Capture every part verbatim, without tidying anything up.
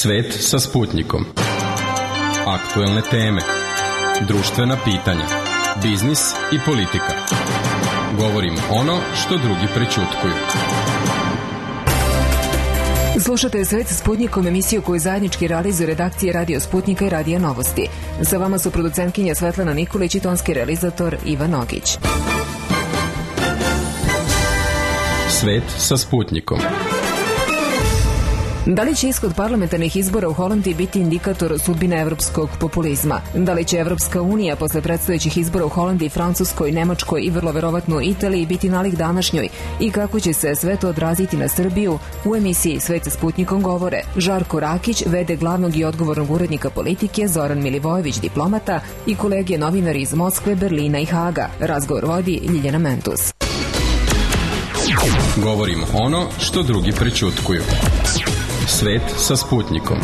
Svet sa Sputnikom. Aktuelne teme, društvena pitanja, biznis i politika. Govorimo ono što drugi prećutkuju. Slušate Svet sa Sputnikom, emisiju koju zajednički realizuju redakcije Radio Sputnika i Radija Novosti. Sa vama su producentkinja Svetlana Nikolić i tonski realizator Ivan Nogić. Svet sa Sputnikom. Da li će ishod parlamentarnih izbora u Holandiji biti indikator sudbine evropskog populizma? Da li će Evropska unija posle predstojećih izbora u Holandiji, Francuskoj, Nemačkoj i vrlo verovatno Italiji biti nalik današnjoj? I kako će se sve to odraziti na Srbiju? U emisiji Svet sa Sputnikom govore Žarko Rakić, ve de glavnog i odgovornog urednika Politike, Zoran Milivojević, diplomata, i kolege novinari iz Moskve, Berlina i Haga. Razgovor vodi Ljiljana Mentus. Govorimo ono što drugi prećutkuju. Svet sa Sputnikom.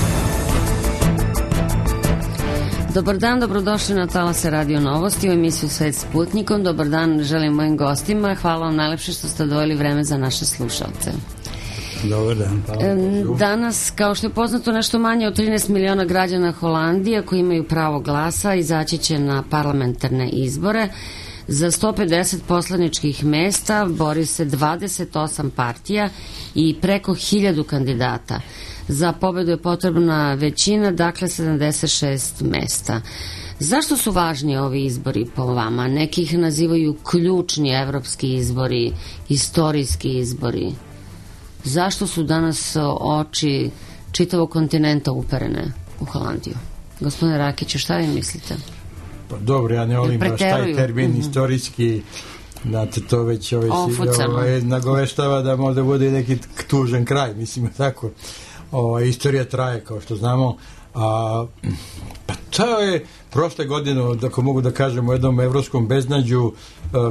Dobar dan, dobrodošli na talase Radio Novosti u emisiju Svet s Sputnikom. Dobar dan želim mojim gostima. Hvala vam najlepše što ste odvojili vreme za naše slušalce. Dobar dan. Danas, kao što je poznato, nešto manje od trinaest miliona građana Holandije koji imaju pravo glasa izaći će na parlamentarne izbore. Za sto pedeset poslaničkih mesta bori se dvadeset osam partija i preko hiljadu kandidata. Za pobedu je potrebna većina, dakle sedamdeset šest mesta. Zašto su važni ovi izbori po vama? Neki ih nazivaju ključni evropski izbori, istorijski izbori. Zašto su danas oči čitavog kontinenta uperene u Holandiju? Gospodine Rakiću, šta vi mislite? Dobro, ja ne volim baš taj termin mm-hmm. istorijski, znate, to već ovaj, ovaj, nagoveštava da možda bude neki tužan kraj, mislim, tako. Ovaj, istorija traje, kao što znamo, a, pa to je prošle godine, ako mogu da kažem, u jednom evropskom beznađu,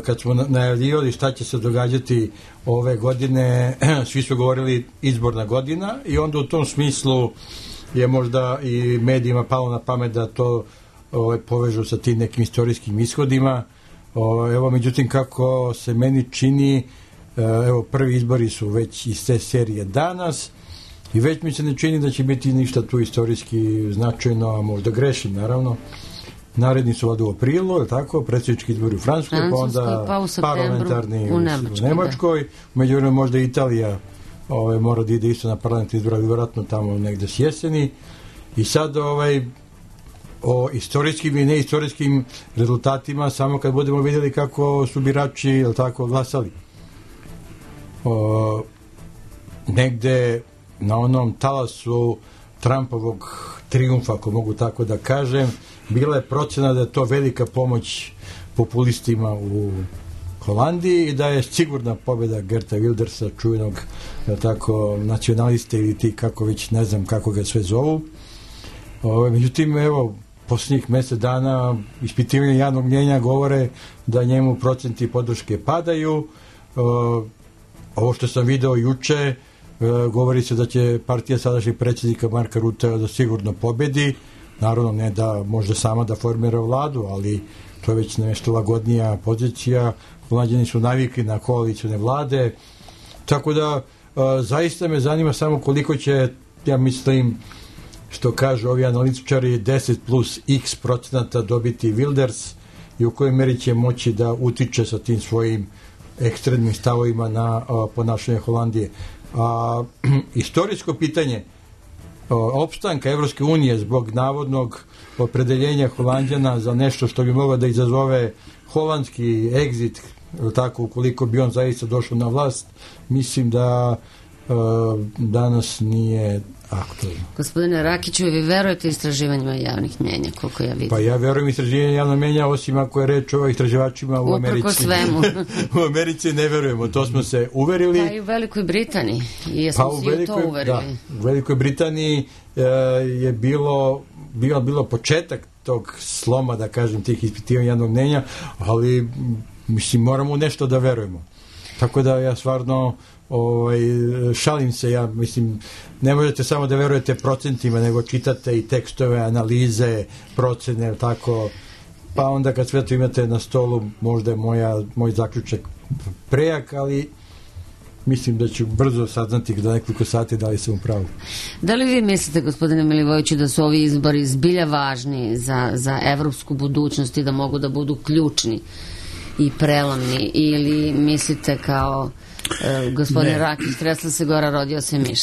kad smo najavljivali šta će se događati ove godine, svi su govorili izborna godina i onda u tom smislu je možda i medijima palo na pamet da to Ovaj, povežu sa tim nekim istorijskim ishodima. O, evo, međutim, kako se meni čini, evo, prvi izbori su već iz te serije danas i već mi se ne čini da će biti ništa tu istorijski značajno, a možda grešim, naravno. Naredni su ovdje u aprilu, je tako, predsjednički izbori u Francuskoj, pa onda pa u parlamentarni u, u Nemačkoj. U Nemačkoj. Međutim, možda Italija ovaj, mora da ide isto na parlamentarni izbor, vjerojatno tamo negde s jeseni. I sad, ovaj, o istorijskim i neistorijskim rezultatima samo kad budemo vidjeli kako su birači, jel tako, glasali. O, negde na onom talasu Trumpovog trijumfa, ako mogu tako da kažem, bila je procena da je to velika pomoć populistima u Holandiji i da je sigurna pobjeda Geerta Wildersa, čuvenog, jel tako, nacionaliste ili ti kako već, ne znam kako ga sve zovu. O, međutim, evo, posljednjih mjesec dana ispitivanje javnog mnjenja govore da njemu procenti podrške padaju. Ovo što sam video juče, govori se da će partija sadašnjeg predsjednika Marka Rutte da sigurno pobedi. Naravno, ne da može sama da formira vladu, ali to je već nešto lagodnija pozicija. Holanđani su navikli na koalicijne vlade. Tako da, zaista me zanima samo koliko će, ja mislim, što kažu ovi analitičari, deset plus x procenata dobiti Wilders i u kojoj meri će moći da utiče sa tim svojim ekstremnim stavovima na a, ponašanje Holandije. A, istorijsko pitanje a, opstanka Evropske unije zbog navodnog opredeljenja Holanđana za nešto što bi moglo da izazove holandski exit, tako, ukoliko bi on zaista došao na vlast, mislim da a, danas nije aktualno. Gospodine Rakiću, vi verujete istraživanjima javnih mnjenja, koliko ja vidim? Pa ja verujem istraživanjima javnih mnjenja, osim ako je reč o istraživačima u Americi. Uprko svemu. U Americi ne verujemo, to smo se uverili. Pa i u Velikoj Britaniji. I jesmo pa si velikoj, u to uverili. Da, u Velikoj Britaniji e, je bilo, bilo, bilo početak tog sloma, da kažem, tih ispitivanja javnog mnjenja, ali mislim, moramo nešto da verujemo. Tako da ja stvarno ovaj, šalim se, ja mislim, ne možete samo da verujete procentima, nego čitate i tekstove, analize, procene, tako, pa onda kad sve to imate na stolu, možda je moja, moj zaključak prejak, ali mislim da ću brzo saznati da nekoliko sati da li sam u pravu. Da li vi mislite, gospodine Milivojeviću, da su ovi izbori zbilja važni za, za evropsku budućnost i da mogu da budu ključni i prelomni, ili mislite kao e, gospodin Rakić, tresla se gora, rodio se miš?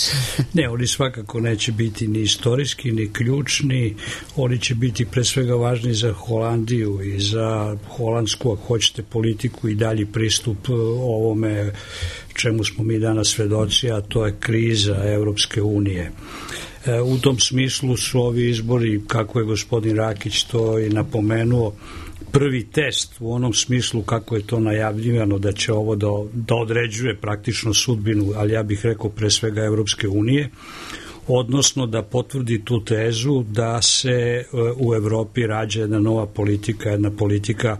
Ne, oni svakako neće biti ni istorijski, ni ključni, oni će biti pre svega važni za Holandiju i za holandsku, ako hoćete, politiku i dalji pristup ovome čemu smo mi danas svedoci, a to je kriza Evropske unije. E, u tom smislu su ovi izbori, kako je gospodin Rakić to i napomenuo, prvi test u onom smislu kako je to najavljivano da će ovo da, da određuje praktično sudbinu, ali ja bih rekao pre svega Evropske unije, odnosno da potvrdi tu tezu da se u Evropi rađa jedna nova politika, jedna politika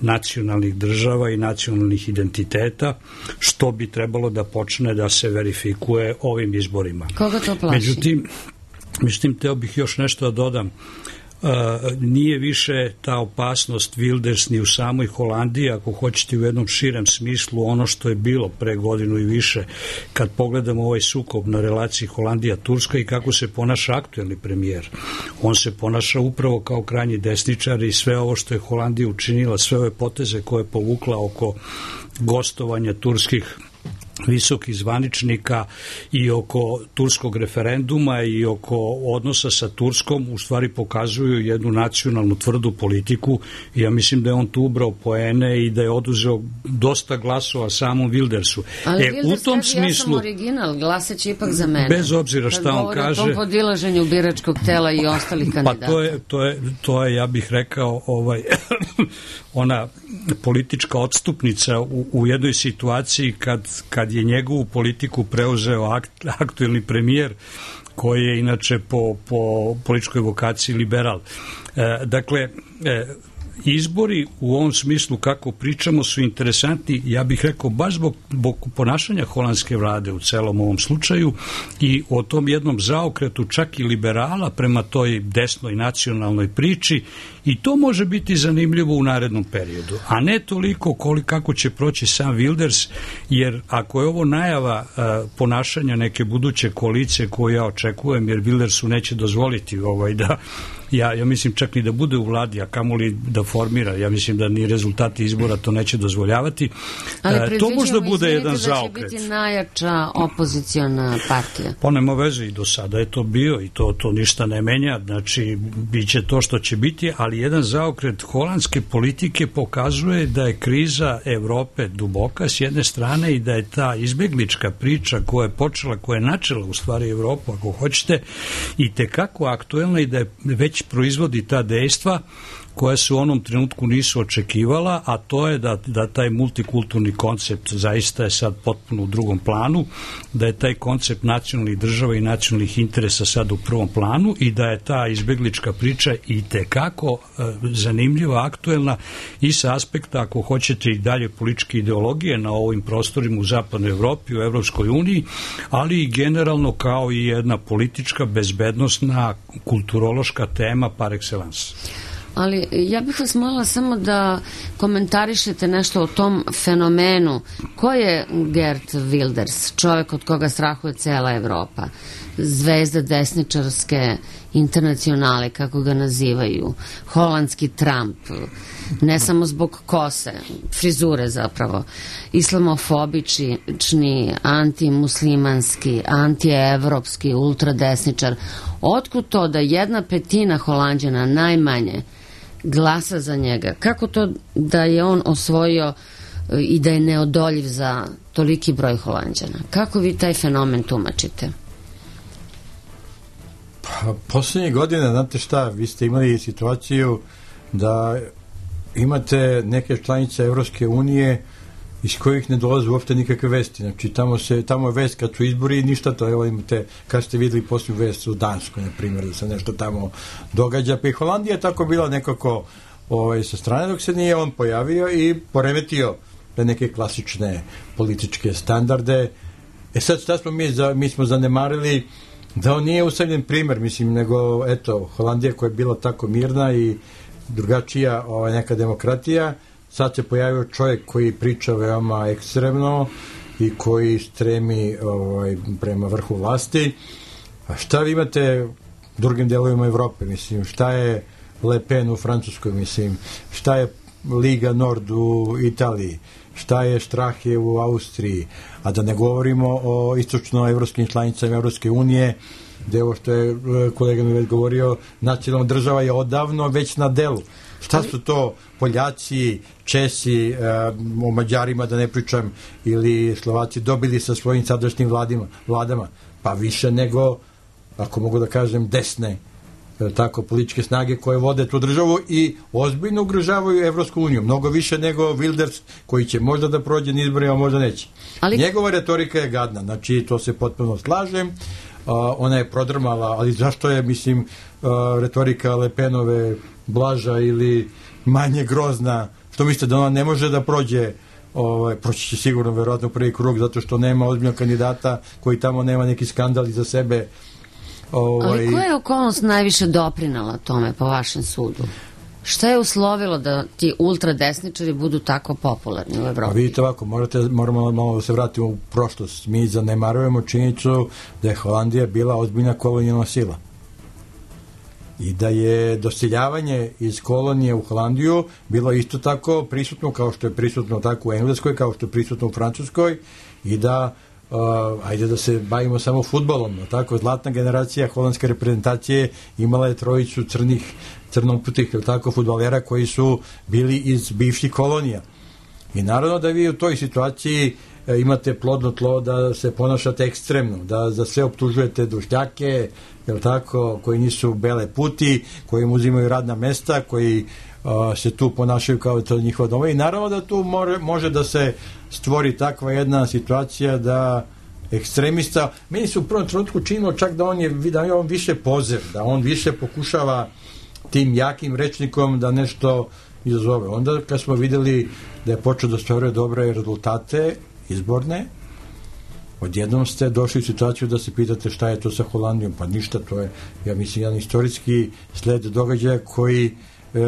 nacionalnih država i nacionalnih identiteta, što bi trebalo da počne da se verifikuje ovim izborima. Koga to plaši? Međutim, međutim, teo bih još nešto da dodam. Uh, nije više ta opasnost Wilders ni u samoj Holandiji, ako hoćete u jednom širem smislu, ono što je bilo pre godinu i više, kad pogledamo ovaj sukob na relaciji Holandija-Turska i kako se ponaša aktuelni premijer. On se ponaša upravo kao krajnji desničar i sve ovo što je Holandija učinila, sve ove poteze koje je povukla oko gostovanja turskih visokih zvaničnika i oko turskog referenduma i oko odnosa sa Turskom u stvari pokazuju jednu nacionalnu tvrdu politiku i ja mislim da je on tu ubrao poene i da je oduzeo dosta glasova samom Wildersu. Ali e, Wilders u tom kaže, smislu, ja sam original, glasaće ipak za mene. Bez obzira šta on kaže. Kad govori o tom podilaženju biračkog tela i ostalih kandidata. Pa to je, to je, to je ja bih rekao, ovaj, ona politička odstupnica u, u jednoj situaciji kad, kad je njegovu politiku preuzeo akt, aktuelni premijer koji je inače po, po političkoj vokaciji liberal. E, dakle, e, izbori u ovom smislu kako pričamo su interesantni, ja bih rekao baš zbog, zbog ponašanja holandske vlade u celom ovom slučaju i o tom jednom zaokretu čak i liberala prema toj desnoj nacionalnoj priči i to može biti zanimljivo u narednom periodu, a ne toliko koliko kako će proći sam Wilders, jer ako je ovo najava a, ponašanja neke buduće koalicije koju ja očekujem, jer Wildersu neće dozvoliti ovaj da Ja, ja mislim čak ni da bude u vladi, a kamoli da formira. Ja mislim da ni rezultati izbora to neće dozvoljavati. Ali to možda bude jedan da zaokret. će biti najjača opoziciona partija. Pa nema veze, i do sada je to bio i to, to ništa ne menja. Znači, bit će to što će biti, ali jedan zaokret holandske politike pokazuje da je kriza Evrope duboka s jedne strane i da je ta izbeglička priča koja je počela, koja je načela u stvari Evropu, ako hoćete, i tekako aktuelna i da je već proizvodi ta dejstva koja se u onom trenutku nisu očekivala, a to je da, da taj multikulturni koncept zaista je sad potpuno u drugom planu, da je taj koncept nacionalnih država i nacionalnih interesa sad u prvom planu i da je ta izbeglička priča i tekako e, zanimljiva, aktuelna i sa aspekta, ako hoćete, i dalje političke ideologije na ovim prostorima u zapadnoj Evropi, u Evropskoj uniji, ali i generalno kao i jedna politička, bezbednosna, kulturološka tema par excellence. Ali ja bih vas molila samo da komentarišete nešto o tom fenomenu. Ko je Geert Wilders, čovjek od koga strahuje cela Evropa? Zvezda desničarske internacionale, kako ga nazivaju, holandski Trump, ne samo zbog kose, frizure zapravo, islamofobični, antimuslimanski, antievropski, ultradesničar. Otkud to da jedna petina Holanđana najmanje glasa za njega? Kako to da je on osvojio i da je neodoljiv za toliki broj Holanđana? Kako vi taj fenomen tumačite? Pa, poslednje godine, znate šta, vi ste imali situaciju da imate neke članice Evropske unije iz kojih ne dolaze uopšte nikakve vesti. Znači, tamo, se, tamo je vest kad su izbori i ništa to. Evo imate, kad ste videli posljednju vest u Danskoj, na primjer, da se nešto tamo događa. Pa i Holandija je tako bila nekako ovaj, sa strane dok se nije on pojavio i poremetio te neke klasične političke standarde. E sad, šta smo mi, za, mi smo zanemarili da on nije usamljen primer, mislim, nego, eto, Holandija koja je bila tako mirna i drugačija ovaj, neka demokratija, sad se pojavio čovjek koji priča veoma ekstremno i koji stremi ovaj, prema vrhu vlasti. A šta vi imate u drugim delovima Evrope, mislim, šta je Le Pen u Francuskoj, mislim, šta je Liga Nord u Italiji, šta je Strahe u Austriji, a da ne govorimo o istočnoevropskim članicama Evropske unije, gde ovo što je kolega mi već govorio, nacionalna država je odavno već na delu. Šta su to Poljaci, Česi, o Mađarima da ne pričam, ili Slovaci dobili sa svojim sadašnjim vladima, vladama? Pa više nego, ako mogu da kažem, desne tako političke snage koje vode tu državu i ozbiljno ugrožavaju Evropsku uniju. Mnogo više nego Wilders, koji će možda da prođe na izborima, možda neće. Ali... Njegova retorika je gadna, znači to se potpuno slažem. Uh, ona je prodrmala, ali zašto je, mislim, uh, retorika Le Penove blaža ili manje grozna? Što mislite da ona ne može da prođe? Ovaj, proći će sigurno verovatno prvi krug, zato što nema ozbiljnog kandidata koji tamo nema neki skandal iza sebe. Ovaj... Ali koja je okolnost najviše doprinala tome po vašem sudu? Šta je uslovilo da ti ultradesničari budu tako popularni u Evropi? A vidite ovako, morate, moramo malo da se vratimo u prošlost. Mi zanemarujemo činjenicu da je Holandija bila ozbiljna kolonijalna sila. I da je doseljavanje iz kolonije u Holandiju bilo isto tako prisutno kao što je prisutno tako u Engleskoj, kao što je prisutno u Francuskoj, i da Uh, ajde da se bavimo samo fudbalom, tako, zlatna generacija holandske reprezentacije imala je trojicu crnih, crnoputih, tako, fudbalera koji su bili iz bivših kolonija. I naravno da vi u toj situaciji e, imate plodno tlo da se ponašate ekstremno, da za sve optužujete dušljake, jel tako, koji nisu bele puti, koji im uzimaju radna mesta, koji a, se tu ponašaju kao to njihova doma, i naravno da tu more, može da se stvori takva jedna situacija da ekstremista, meni se u prvom trenutku činilo čak da on je, da je on više pozev, da on više pokušava tim jakim rečnikom da nešto izazove. Onda kad smo videli da je počeo da ostvaruje dobre rezultate izborne, odjednom ste došli u situaciju da se pitate šta je to sa Holandijom. Pa ništa, to je, ja mislim, jedan istorijski sled događaja koji e,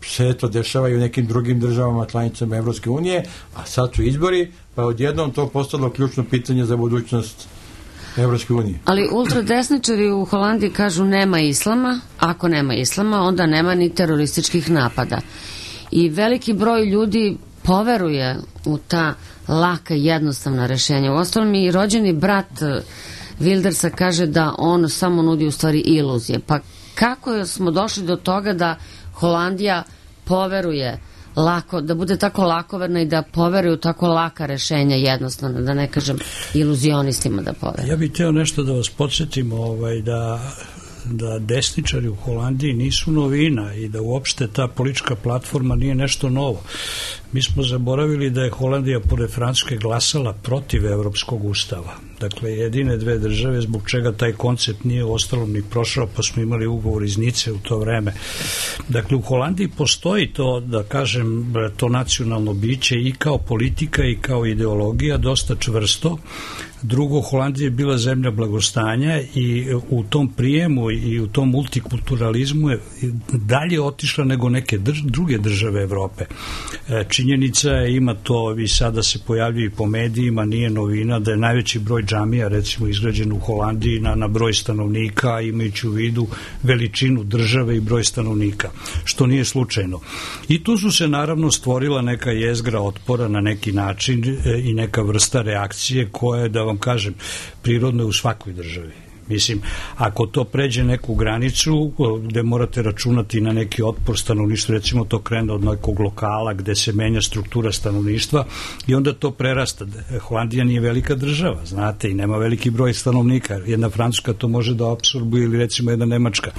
se to dešava i u nekim drugim državama članicama Evropske unije, a sad su izbori, pa odjednom to postalo ključno pitanje za budućnost Evropske unije. Ali ultradesničari u Holandiji kažu nema islama, ako nema islama, onda nema ni terorističkih napada. I veliki broj ljudi poveruje u ta laka, jednostavna rešenja. Uostalom i rođeni brat Wildersa kaže da on samo nudi u stvari iluzije. Pa kako smo došli do toga da Holandija poveruje lako, da bude tako lakoverna i da poveruju tako laka rešenja, jednostavno, da ne kažem iluzionistima da poveruju? Ja bih teo nešto da vas podsjetim, ovaj, da da desničari u Holandiji nisu novina i da uopšte ta politička platforma nije nešto novo. Mi smo zaboravili da je Holandija pored Francuske glasala protiv Evropskog ustava. Dakle, jedine dve države zbog čega taj koncept nije ostalom ni prošao, pa smo imali ugovor iz Nice u to vreme. Dakle, u Holandiji postoji to, da kažem, to nacionalno biće i kao politika i kao ideologija dosta čvrsto. Drugo, Holandija je bila zemlja blagostanja i u tom prijemu i u tom multikulturalizmu je dalje otišla nego neke drž druge države Evrope. Činjenica je, ima to i sada se pojavljuje i po medijima, nije novina, da je najveći broj džamija recimo izgrađen u Holandiji na, na broj stanovnika, imajući u vidu veličinu države i broj stanovnika, što nije slučajno. I tu su se naravno stvorila neka jezgra otpora na neki način i neka vrsta reakcije koja je, da vam kažem, prirodno je u svakoj državi. Mislim, ako to pređe neku granicu gde morate računati na neki otpor stanovništva, recimo to krene od nekog lokala gde se menja struktura stanovništva i onda to prerasta. Holandija nije velika država, znate, i nema veliki broj stanovnika. Jedna Francuska to može da apsorbuje ili recimo jedna Nemačka,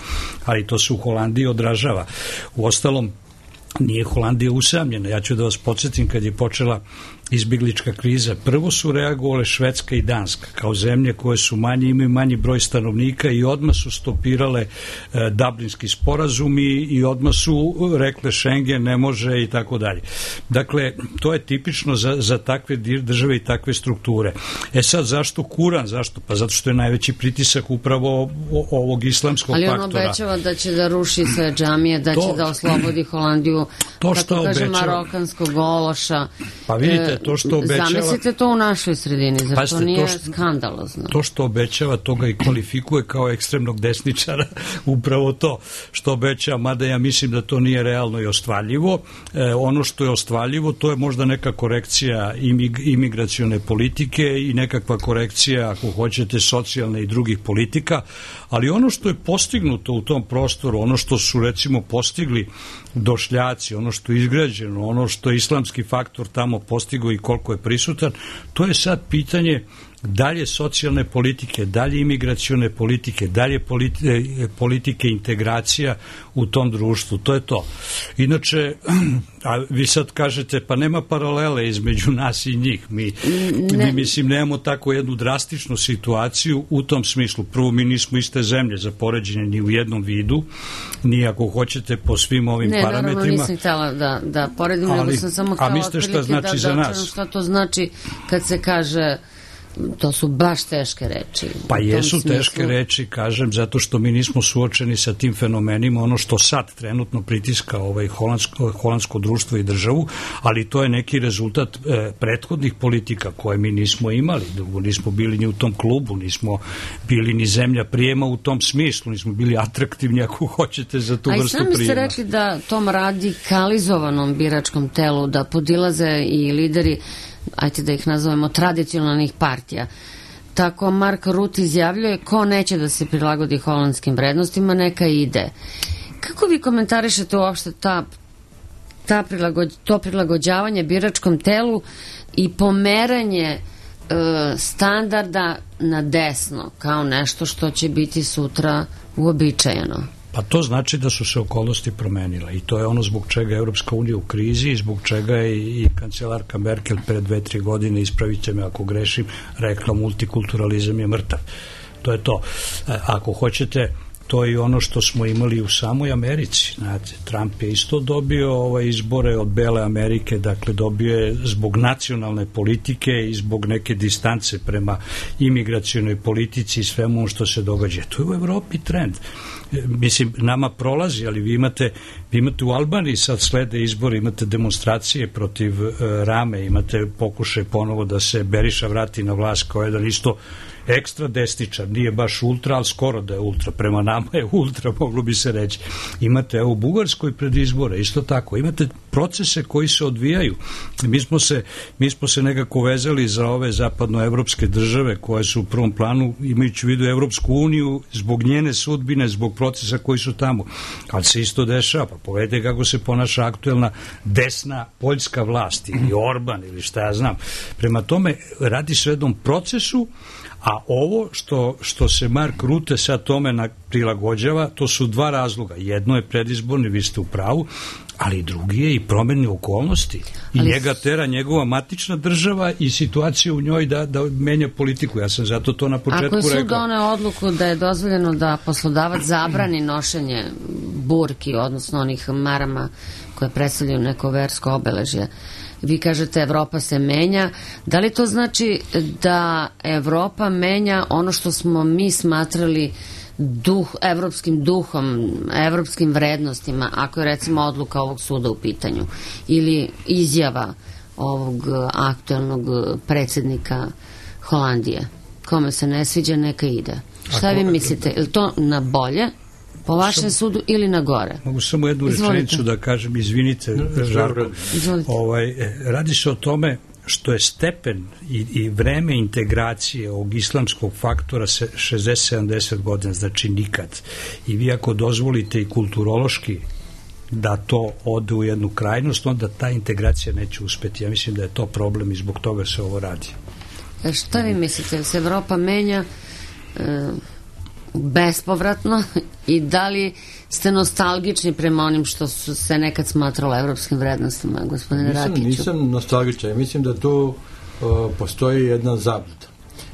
ali to se u Holandiji odražava. U ostalom, nije Holandija usamljena. Ja ću da vas podsjetim, kad je počela izbjeglička kriza, prvo su reagovale Švedska i Danska kao zemlje koje su manje, imaju manji broj stanovnika i odmah su stopirale e, Dublinski sporazumi i odmah su rekle Schengen ne može i tako dalje. Dakle, to je tipično za, za takve države i takve strukture. E sad, zašto Kuran? Zašto? Pa zato što je najveći pritisak upravo ovog islamskog faktora. faktora. Ali on obećava da će da ruši sve džamije, da to, će da oslobodi Holandiju, to kako kaže, marokanskog ološa. Pa vidite, to što obećava... Zamislite to u našoj sredini, zar Pazite, to nije to što, skandalozno? To što obećava, to ga i kvalifikuje kao ekstremnog desničara, upravo to što obećava, mada ja mislim da to nije realno i ostvarljivo. E, ono što je ostvarljivo, to je možda neka korekcija imig, imigracione politike i nekakva korekcija, ako hoćete, socijalne i drugih politika, ali ono što je postignuto u tom prostoru, ono što su recimo postigli Došljaci, ono što je izgrađeno, ono što je islamski faktor tamo postigao i koliko je prisutan, to je sad pitanje dalje socijalne politike, dalje imigracione politike, dalje politike, politike integracija u tom društvu. To je to. Inače, a vi sad kažete, pa nema paralele između nas i njih. Mi, mi mislim, nemamo tako jednu drastičnu situaciju u tom smislu. Prvo, mi nismo iste zemlje za poređenje ni u jednom vidu, ni ako hoćete po svim ovim ne, parametrima. Ne, naravno nisam htjela da, da poredim, ali, nego sam samo htjela otprilike znači da, da da šta to znači kad se kaže. To su baš teške reči. Pa jesu teške reči, kažem, zato što mi nismo suočeni sa tim fenomenima, ono što sad trenutno pritiska ovaj holandsko, holandsko društvo i državu, ali to je neki rezultat e, prethodnih politika koje mi nismo imali. Drugo, nismo bili ni u tom klubu, nismo bili ni zemlja prijema u tom smislu, nismo bili atraktivni, ako hoćete, za tu vrstu prijema. A i sami ste rekli da tom radikalizovanom biračkom telu, da podilaze i lideri, ajte da ih nazovemo, tradicionalnih partija. Tako Mark Rutte izjavljuje, ko neće da se prilagodi holandskim vrednostima, neka ide. Kako vi komentarišete uopšte ta, ta prilagođ, to prilagođavanje biračkom telu i pomeranje e, standarda na desno, kao nešto što će biti sutra uobičajeno? Pa to znači da su se okolnosti promenile i to je ono zbog čega je Evropska unija u krizi i zbog čega je i kancelarka Merkel pre dve, tri godine, ispravite me ako grešim, rekla multikulturalizam je mrtav. To je to. Ako hoćete, to je ono što smo imali u samoj Americi. Znate, Trump je isto dobio ovaj izbore od Bele Amerike, dakle dobio je zbog nacionalne politike i zbog neke distance prema imigracionoj politici i svemu što se događa. To je u Evropi trend. Mislim, nama prolazi, ali vi imate, vi imate u Albaniji sad slede izbore, imate demonstracije protiv uh, Rame, imate pokušaj ponovo da se Beriša vrati na vlast kao jedan isto ekstra desničar, nije baš ultra, ali skoro da je ultra, prema nama je ultra, moglo bi se reći. Imate evo u Bugarskoj pred izbore, isto tako, imate procese koji se odvijaju. Mi smo se, mi smo se nekako vezali za ove zapadnoevropske države koje su u prvom planu, imajući u vidu Evropsku uniju, zbog njene sudbine, zbog procesa koji su tamo. Ali se isto dešava, pa povedite kako se ponaša aktuelna desna poljska vlast ili Orban ili šta ja znam. Prema tome, radi se o jednom procesu, a ovo što, što se Mark Rutte sad tome prilagođava, to su dva razloga. Jedno je predizborni, vi ste u pravu, ali drugi je i promjene okolnosti. I ali njega tera njegova matična država i situacija u njoj da, da menja politiku. Ja sam zato to na početku rekao. Ako je sud doneo odluku da je dozvoljeno da poslodavac zabrani nošenje burki, odnosno onih marama koje predstavljaju neko versko obeležje, vi kažete Evropa se menja. Da li to znači da Evropa menja ono što smo mi smatrali duh, evropskim duhom, evropskim vrednostima, ako je recimo odluka ovog suda u pitanju ili izjava ovog aktuelnog predsjednika Holandije? Kome se ne sviđa, neka ide. Šta vi mislite? Je li to na bolje po vašem sudu ili na gore? Mogu samo jednu rečenicu da kažem, izvinite, Žarko. Ovaj, radi se o tome što je stepen i, i vreme integracije ovog islamskog faktora se šezdeset sedamdeset godina, znači nikad. I vi ako dozvolite i kulturološki da to ode u jednu krajnost, onda ta integracija neće uspeti. Ja mislim da je to problem i zbog toga se ovo radi. E šta vi mislite, da se Evropa menja e, bespovratno i da li ste nostalgični prema onim što su se nekad smatralo evropskim vrednostima, gospodine nisam, Rakiću? Nisam nostalgičan, mislim da tu uh, postoji jedna zabluda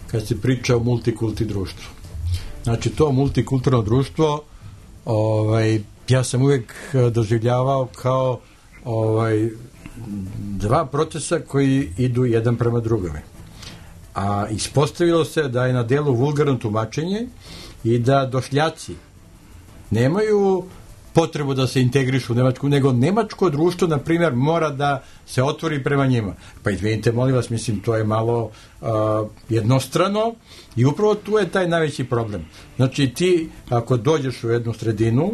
kad se priča o multikulti društvu. Znači to multikulturno društvo ovaj, ja sam uvijek doživljavao kao ovaj, dva procesa koji idu jedan prema drugome. A ispostavilo se da je na delu vulgarno tumačenje i da došljaci nemaju potrebu da se integrišu u Nemačku, nego nemačko društvo, na primjer, mora da se otvori prema njima. Pa izvinite, molim vas, mislim, to je malo uh, jednostrano i upravo tu je taj najveći problem. Znači, ti, ako dođeš u jednu sredinu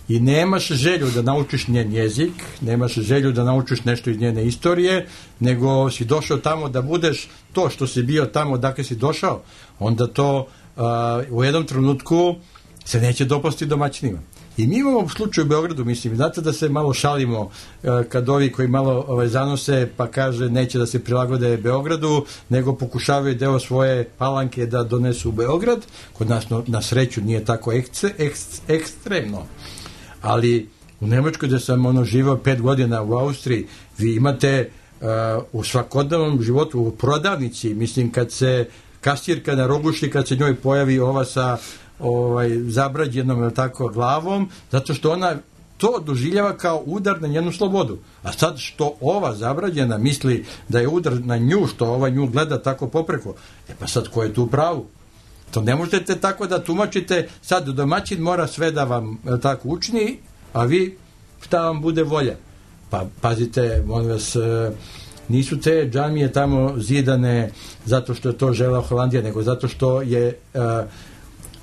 i nemaš želju da naučiš njen jezik, nemaš želju da naučiš nešto iz njene istorije, nego si došao tamo da budeš to što si bio tamo dakle si došao, onda to uh, u jednom trenutku se neće dopasti domaćinima. I mi imamo u slučaju u Beogradu, mislim, znate da se malo šalimo uh, kad ovi koji malo ovaj, zanose pa kaže neće da se prilagode Beogradu, nego pokušavaju deo svoje Palanke da donesu u Beograd. Kod nas no, na sreću nije tako ekce, ekst, ekstremno. Ali u Nemačkoj gde sam ono živao pet godina u Austriji, vi imate uh, u svakodnevnom životu u prodavnici, mislim kad se kasirka na roguši, kad se njoj pojavi ova sa ovaj, zabrađenom tako glavom, zato što ona to doživljava kao udar na njenu slobodu. A sad što ova zabrađena misli da je udar na nju, što ova nju gleda tako popreko, e pa sad ko je tu u pravu? To ne možete tako da tumačite, sad domaćin mora sve da vam tako učini, a vi šta vam bude volja. Pa pazite, molim vas, nisu te džamije tamo zidane zato što je to žela Holandija, nego zato što je uh,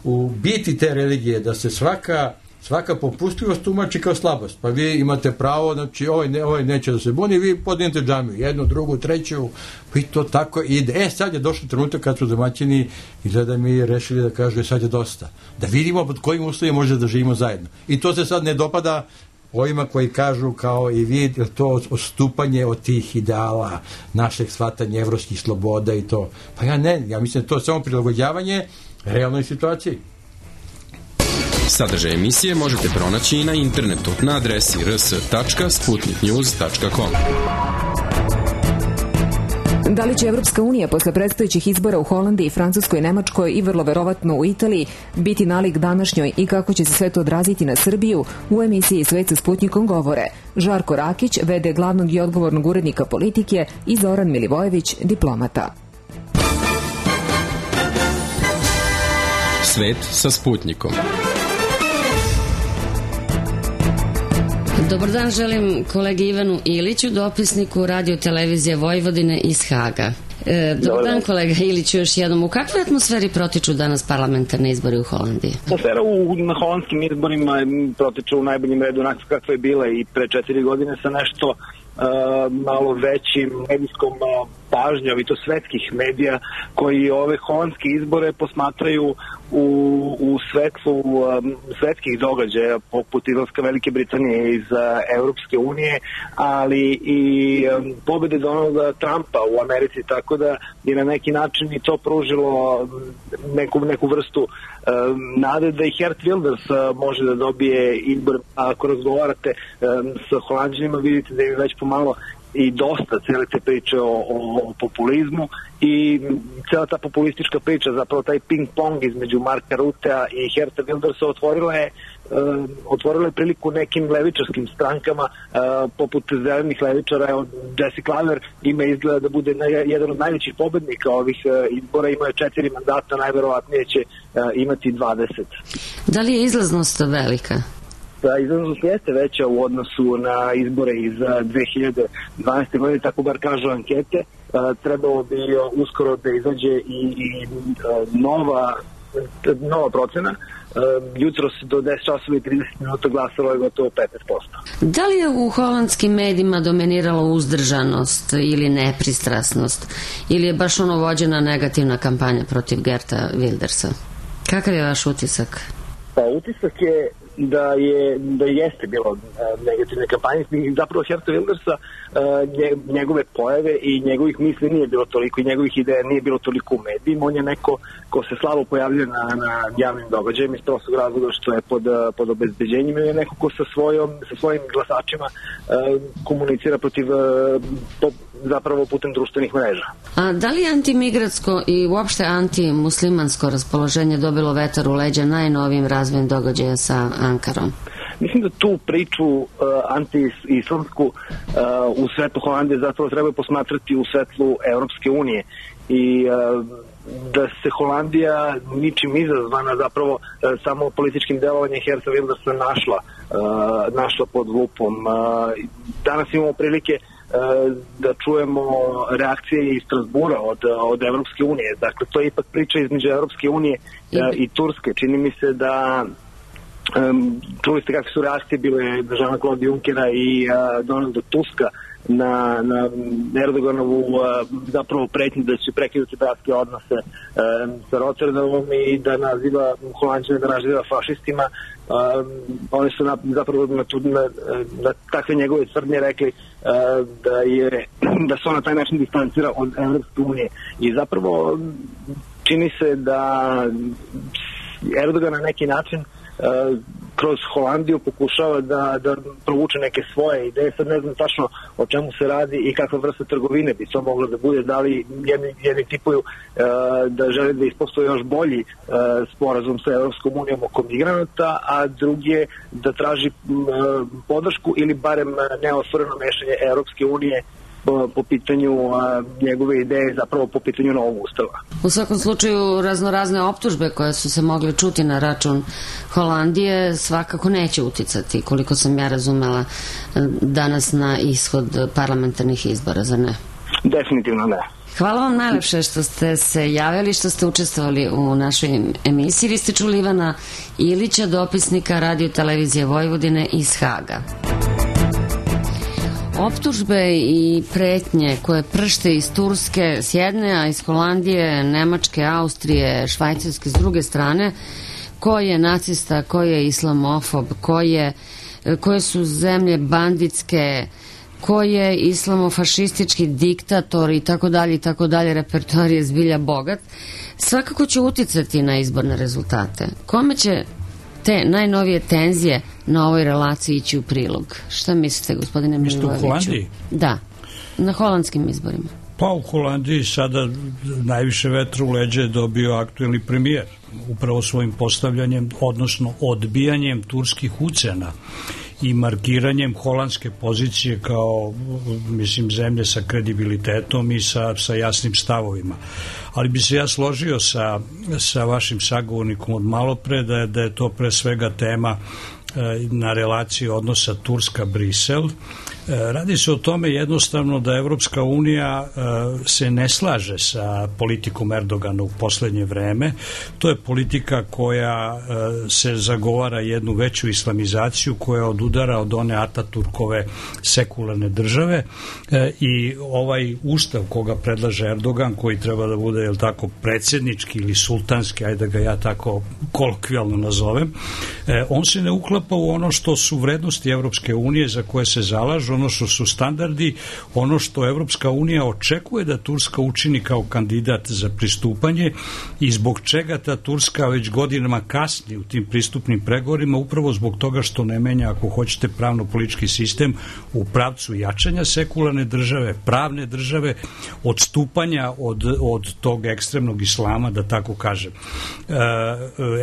u biti te religije da se svaka svaka popustljivost tumači kao slabost. Pa vi imate pravo, znači ovaj, ne, ovaj neće da se buni, vi podignete džamiju, jednu, drugu, treću, pa i to tako ide. E, sad je došlo trenutak kad su domaćini izgleda mi rešili da kažu sad je dosta. Da vidimo pod kojim uslovima može da živimo zajedno. I to se sad ne dopada ovima koji kažu kao i vi, to odstupanje od tih ideala našeg shvatanja evropskih sloboda i to. Pa ja ne, ja mislim da to je samo prilagođavanje realnoj situaciji. Sadržaj emisije možete pronaći i na internetu na adresi r s tačka sputnik news tačka com. Da li će Evropska unija posle predstojećih izbora u Holandiji, Francuskoj, Nemačkoj i vrlo verovatno u Italiji biti nalik današnjoj i kako će se sve to odraziti na Srbiju, u emisiji Svet sa Sputnikom govore Žarko Rakić, v d glavnog i odgovornog urednika Politike, i Zoran Milivojević, diplomata. Svet sa Sputnikom. Dobar dan, želim kolegi Ivanu Iliću, dopisniku Radio televizije Vojvodine iz Haga. E, dobar, dobar dan, kolega Iliću, još jednom. U kakvoj atmosferi protiču danas parlamentarne izbori u Holandiji? Atmosfera u, na holandskim izborima protiču u najboljem redu onako kakva je bila i pre četiri godine sa nešto uh, malo većim medijskom uh, pažnjom, i to svetskih medija, koji ove holandske izbore posmatraju u, u svetlu um, svetskih događaja poput izlaska Velike Britanije iz uh, Evropske unije, ali i um, pobede Donalda Trumpa u Americi, tako da je na neki način i to pružilo neku, neku vrstu um, nade da i Geert Wilders uh, može da dobije izbor. A ako razgovarate um, sa Holanđanima, vidite da je već pomalo i dosta cele te priče o, o, o populizmu i cela ta populistička priča, zapravo taj ping-pong između Marka Rutea i Geerta Wildersa otvorila je Uh, otvorila je priliku nekim levičarskim strankama uh, poput zelenih levičara. Evo, Jesse Klaver ima izgleda da bude na, jedan od najvećih pobednika ovih uh, izbora, ima je četiri mandata, najverovatnije će uh, imati dvadeset. Da li je izlaznost velika? Da, izlaznost jeste veća u odnosu na izbore iz dve hiljade dvanaeste. godine, tako bar kažu ankete. Uh, trebalo bi uskoro da izađe i, i uh, nova nova procena. Uh, jutros do deset časova i trideset minuta glasalo je gotovo petnaest posto. Da li je u holandskim medijima dominirala uzdržanost ili nepristrasnost, ili je baš ono vođena negativna kampanja protiv Geerta Wildersa? Kakav je vaš utisak? Pa utisak je da je da jeste bilo uh, negativne kampanje, i zapravo Geerta Wildersa uh, njegove pojave i njegovih misli nije bilo toliko i njegovih ideja nije bilo toliko u medijima. On je neko ko se slabo pojavljuje na, na javnim događajima iz prostog razloga što je pod, pod obezbeđenjem, i je neko ko sa, svojom, sa svojim glasačima uh, komunicira protiv uh, po, zapravo putem društvenih mreža. A da li antimigratsko i uopšte antimuslimansko raspoloženje dobilo vetar u leđa najnovijim razvojem događaja sa Ankarom? Mislim da tu priču uh, anti-islamsku uh, u svetlu Holandije zapravo treba posmatrati u svetlu Evropske unije i uh, da se Holandija ničim izazvana zapravo uh, samo političkim delovanjem Geerta Wildersa našla, uh, našla pod lupom. Uh, danas imamo prilike da čujemo reakcije iz Strasbura od, od Evropske unije. Dakle, to je ipak priča između Evropske unije i, i Turske. Čini mi se da um, čuli ste kakve su reakcije bile Jean-Claude Junckera i uh, Donalda Tuska na, na Erdoganovu uh, zapravo pretnju da će prekinuti bratske odnose um, sa Rotterdamom i da naziva Holanđane, da naziva fašistima. Um, oni su na, zapravo na, na, na takve njegove tvrdnje rekli uh, da, je, da se on na taj način distancira od Evropske unije. I zapravo čini se da Erdogan na neki način uh, kroz Holandiju pokušava da, da provuče neke svoje ideje. Sad ne znam tačno o čemu se radi i kakva vrsta trgovine bi to moglo da bude. Da li jedni, jedni tipuju uh, da žele da ispostoje još bolji uh, sporazum sa Evropskom unijom oko migranata, a drugi da traži uh, podršku ili barem neosvoreno mešanje Evropske unije po, po pitanju a, njegove ideje, zapravo po pitanju novog ustava. U svakom slučaju raznorazne optužbe koje su se mogle čuti na račun Holandije svakako neće uticati, koliko sam ja razumela, danas na ishod parlamentarnih izbora, zar ne? Definitivno ne. Hvala vam najlepše što ste se javili, što ste učestvovali u našoj emisiji. Vi ste čuli Ivana Ilića, dopisnika Radio televizije Vojvodine iz Haga. Optužbe i pretnje koje pršte iz Turske s jedne, a iz Holandije, Nemačke, Austrije, Švajcarske s druge strane, ko je nacista, ko je islamofob, ko je, koje su zemlje banditske, ko je islamofašistički diktator i tako dalje i tako dalje, repertoar je zbilja bogat, svakako će uticati na izborne rezultate. Kome će te najnovije tenzije na ovoj relaciji ići u prilog? Šta mislite, gospodine Milivojeviću? Mislite u Holandiji? Da, na holandskim izborima. Pa u Holandiji sada najviše vetra u leđe je dobio aktuelni premijer, upravo svojim postavljanjem, odnosno odbijanjem turskih ucena i markiranjem holandske pozicije kao, mislim, zemlje sa kredibilitetom i sa, sa jasnim stavovima. Ali bi se ja složio sa, sa vašim sagovornikom od malopre da je, da je to pre svega tema e, na relaciji odnosa Turska-Brisel. E, radi se o tome jednostavno da Evropska unija e, se ne slaže sa politikom Erdogana u poslednje vreme. To je politika koja e, se zagovara jednu veću islamizaciju, koja odudara od one Ataturkove sekularne države e, i ovaj ustav koga predlaže Erdogan, koji treba da bude, jel tako, predsjednički ili sultanski, ajde da ga ja tako kolokvijalno nazovem, e, on se ne uklapa u ono što su vrednosti Evropske unije za koje se zalažu, ono što su standardi, ono što Evropska unija očekuje da Turska učini kao kandidat za pristupanje i zbog čega ta Turska već godinama kasni u tim pristupnim pregovorima, upravo zbog toga što ne menja, ako hoćete, pravno-politički sistem u pravcu jačanja sekularne države, pravne države, odstupanja od, od tog ekstremnog islama, da tako kažem.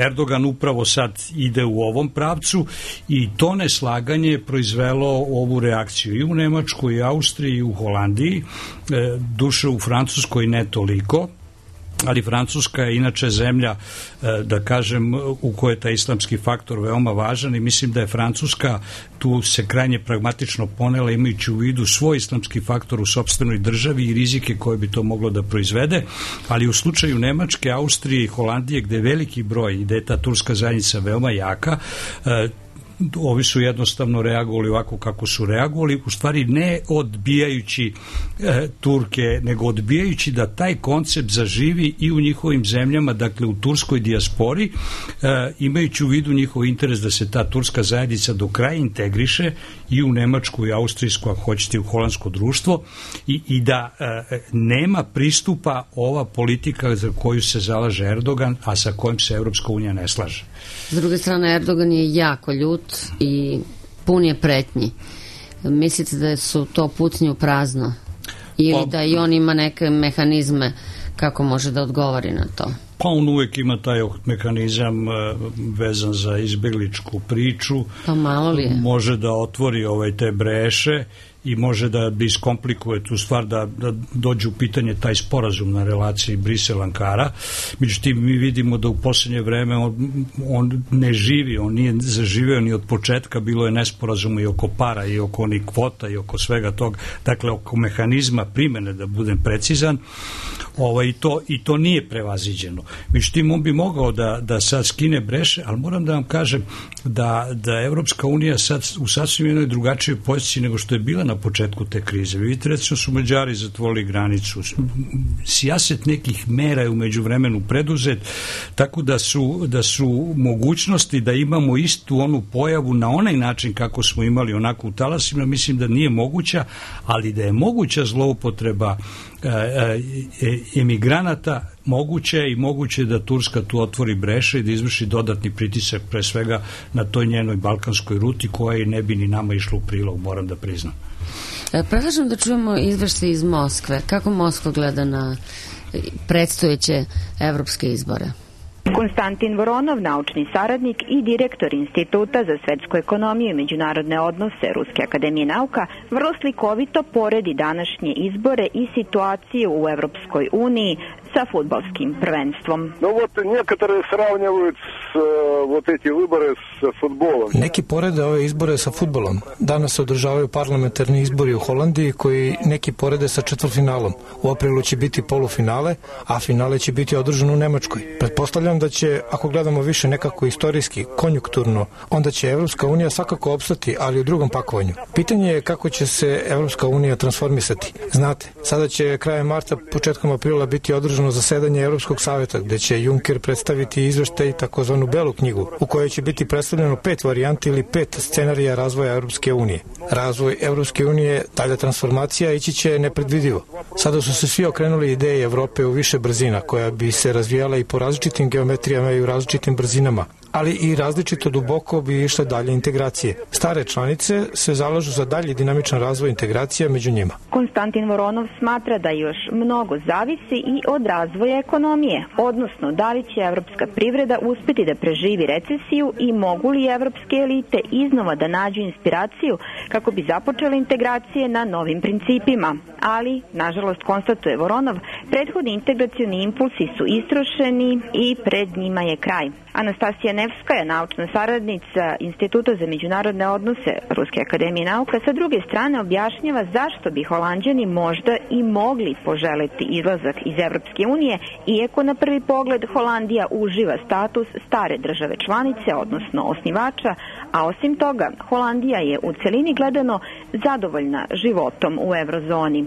Erdogan upravo sad ide u ovom pravcu i to neslaganje je proizvelo ovu reakciju i u Nemačkoj, i Austriji, i u Holandiji, duše u Francuskoj ne toliko, ali Francuska je inače zemlja, da kažem, u kojoj je taj islamski faktor veoma važan i mislim da je Francuska tu se krajnje pragmatično ponela imajući u vidu svoj islamski faktor u sopstvenoj državi i rizike koje bi to moglo da proizvede, ali u slučaju Nemačke, Austrije i Holandije, gde je veliki broj i gde je ta turska zajednica veoma jaka, ovi su jednostavno reagovali ovako kako su reagovali, u stvari ne odbijajući e, Turke, nego odbijajući da taj koncept zaživi i u njihovim zemljama, dakle u turskoj dijaspori, e, imajući u vidu njihov interes da se ta turska zajednica do kraja integriše i u Nemačku i Austrijsku, ako hoćete, u holandsko društvo i, i da e, nema pristupa ova politika za koju se zalaže Erdogan, a sa kojim se Evropska unija ne slaže. S druge strane, Erdogan je jako ljut i pun je pretnji. Mislite da su to pucnje u prazno? Ili pa, da i on ima neke mehanizme kako može da odgovori na to? Pa on uvek ima taj mehanizam vezan za izbegličku priču. Pa malo li je? Može da otvori ovaj te breše i može da iskomplikuje tu stvar, da, da dođe u pitanje taj sporazum na relaciji Brisel-Ankara. Međutim, mi vidimo da u poslednje vreme on, on ne živi, on nije zaživeo ni od početka, bilo je nesporazuma i oko para, i oko onih kvota, i oko svega toga, dakle, oko mehanizma primene, da budem precizan, ovaj, i, to, i to nije prevaziđeno. Međutim, on bi mogao da, da sad skine breše, ali moram da vam kažem da, da Evropska unija sad u sasvim jednoj drugačijoj poziciji nego što je bila na početku te krize. Vidite, recimo su Mađari zatvorili granicu. Sijaset nekih mera je umeđu vremenu preduzet, tako da su, da su mogućnosti da imamo istu onu pojavu na onaj način kako smo imali onako u talasima, mislim da nije moguća, ali da je moguća zloupotreba e, e, emigranata, moguće i moguće da Turska tu otvori breše i da izvrši dodatni pritisak pre svega na toj njenoj balkanskoj ruti koja ne bi ni nama išla u prilog, moram da priznam. Predlažem da čujemo izveštaj iz Moskve. Kako Moskva gleda na predstojeće evropske izbore? Konstantin Voronov, naučni saradnik i direktor Instituta za svetsku ekonomiju i međunarodne odnose Ruske akademije nauka, vrlo slikovito poredi današnje izbore i situaciju u Evropskoj uniji sa fudbalskim prvenstvom. No, вот некоторые сравнивают вот эти выборы с футболом. Neki porede ove izbore sa fudbalom. Danas se održavaju parlamentarni izbori u Holandiji koji neki porede sa četvrtfinalom. U aprilu će biti polufinale, a finale će biti održano u Nemačkoj. Pretpostavljam da će, ako gledamo više nekako istorijski, konjunkturno, onda će Evropska unija svakako opstati, ali u drugom pakovanju. Pitanje je kako će se Evropska unija transformisati. Znate, sada će krajem marta, početkom aprila biti održano zasedanje Evropskog saveta, gde će Juncker predstaviti izveštaj takozvanu belu knjigu, u kojoj će biti predstavljeno pet varijanti ili pet scenarija razvoja Evropske unije. Razvoj Evropske unije, dalja transformacija, ići će nepredvidivo. Sada su se svi okrenuli ideje Evrope u više brzina, koja bi se razvijala i po različitim geometrijama i u različitim brzinama, ali i različito duboko bi išle dalje integracije. Stare članice se zalažu za dalji dinamičan razvoj integracija među njima. Konstantin Voronov smatra da još mnogo zavisi i od razvoja ekonomije, odnosno da li će evropska privreda uspeti da preživi recesiju i mogu li evropske elite iznova da nađu inspiraciju kako bi započele integracije na novim principima. Ali, nažalost, konstatuje Voronov, prethodni integracioni impulsi su istrošeni i pred njima je kraj. Anastasija Nevskaja, naučna saradnica Instituta za međunarodne odnose Ruske akademije nauka, sa druge strane objašnjava zašto bi Holanđani možda i mogli poželeti izlazak iz Evropske unije, iako na prvi pogled Holandija uživa status stare države članice, odnosno osnivača, a osim toga Holandija je u celini gledano zadovoljna životom u eurozoni.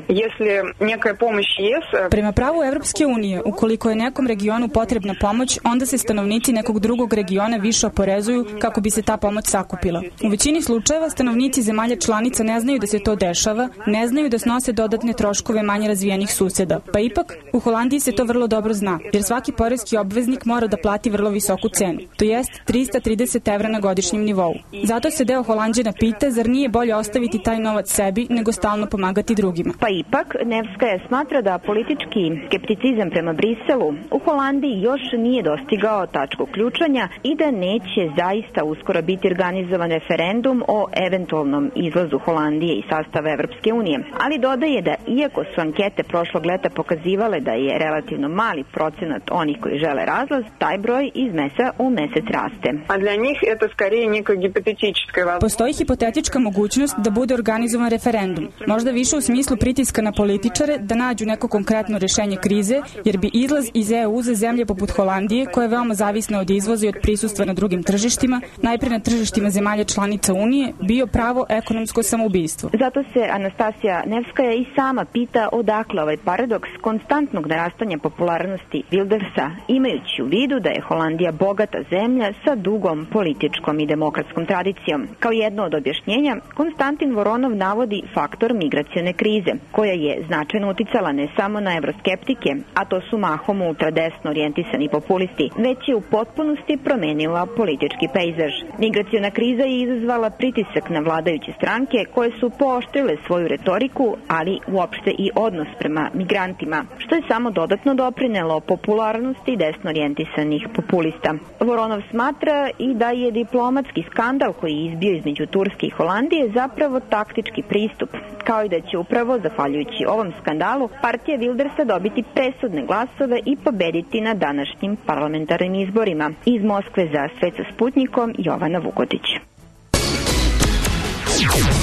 Prema pravu Evropske unije, ukoliko je nekom regionu potrebna pomoć, onda se stanovnici nekog drugog regiona više oporezuju kako bi se ta pomoć sakupila. U većini slučajeva stanovnici zemalja članica ne znaju da se to dešava, ne znaju da snose dodatne troškove manje razvijenih suseda. Pa ipak, u Holandiji se to vrlo dobro zna, jer svaki poreski obveznik mora da plati vrlo visoku cenu, to jest trista trideset evra na godišnjem nivou. Zato se deo Holanđana pita, zar nije bolje ostaviti taj novac sebi nego stalno pomagati drugima. Pa ipak, Nevskaja smatra da politički skepticizam prema Briselu u Holandiji još nije dostigao tačku ključanja i da neće zaista uskoro biti organizovan referendum o eventualnom izlazu Holandije iz sastava Evropske unije. Ali dodaje da iako su ankete prošlog leta pokazivale da je relativno mali procenat onih koji žele razlaz, taj broj iz meseca u mesec raste. A dla njih je to skarije neka hipotetička. Postoji hipotetička mogućnost da bude organizovan referendum. Možda više u smislu pritiska na političare da nađu neko konkretno rešenje krize, jer bi izlaz iz E U za zemlje poput Holandije, koja je veoma zavisna od izvoza i od prisustva na drugim tržištima, najpre na tržištima zemalja članica Unije, bio pravo ekonomsko samoubistvo. Zato se Anastasija Nevskaja i sama pita odakle ovaj paradoks konstantnog narastanja popularnosti Wildersa, imajući u vidu da je Holandija bogata zemlja sa dugom političkom i demokratskom tradicijom. Kao jedno od objašnjenja, Konstantin Voronov Voronov navodi faktor migracione krize, koja je značajno uticala ne samo na evroskeptike, a to su mahom ultradesno orijentisani populisti, već je u potpunosti promenila politički pejzaž. Migraciona kriza je izazvala pritisak na vladajuće stranke koje su pooštrile svoju retoriku, ali uopšte i odnos prema migrantima, što je samo dodatno doprinelo popularnosti desno orijentisanih populista. Voronov smatra i da je diplomatski skandal koji je izbio između Turske i Holandije zapravo taktički pristup, kao i da će upravo, zahvaljujući ovom skandalu, partija Wildersa dobiti presudne glasove i pobediti na današnjim parlamentarnim izborima. Iz Moskve za Svet sa Sputnikom, Jovana Vukotić.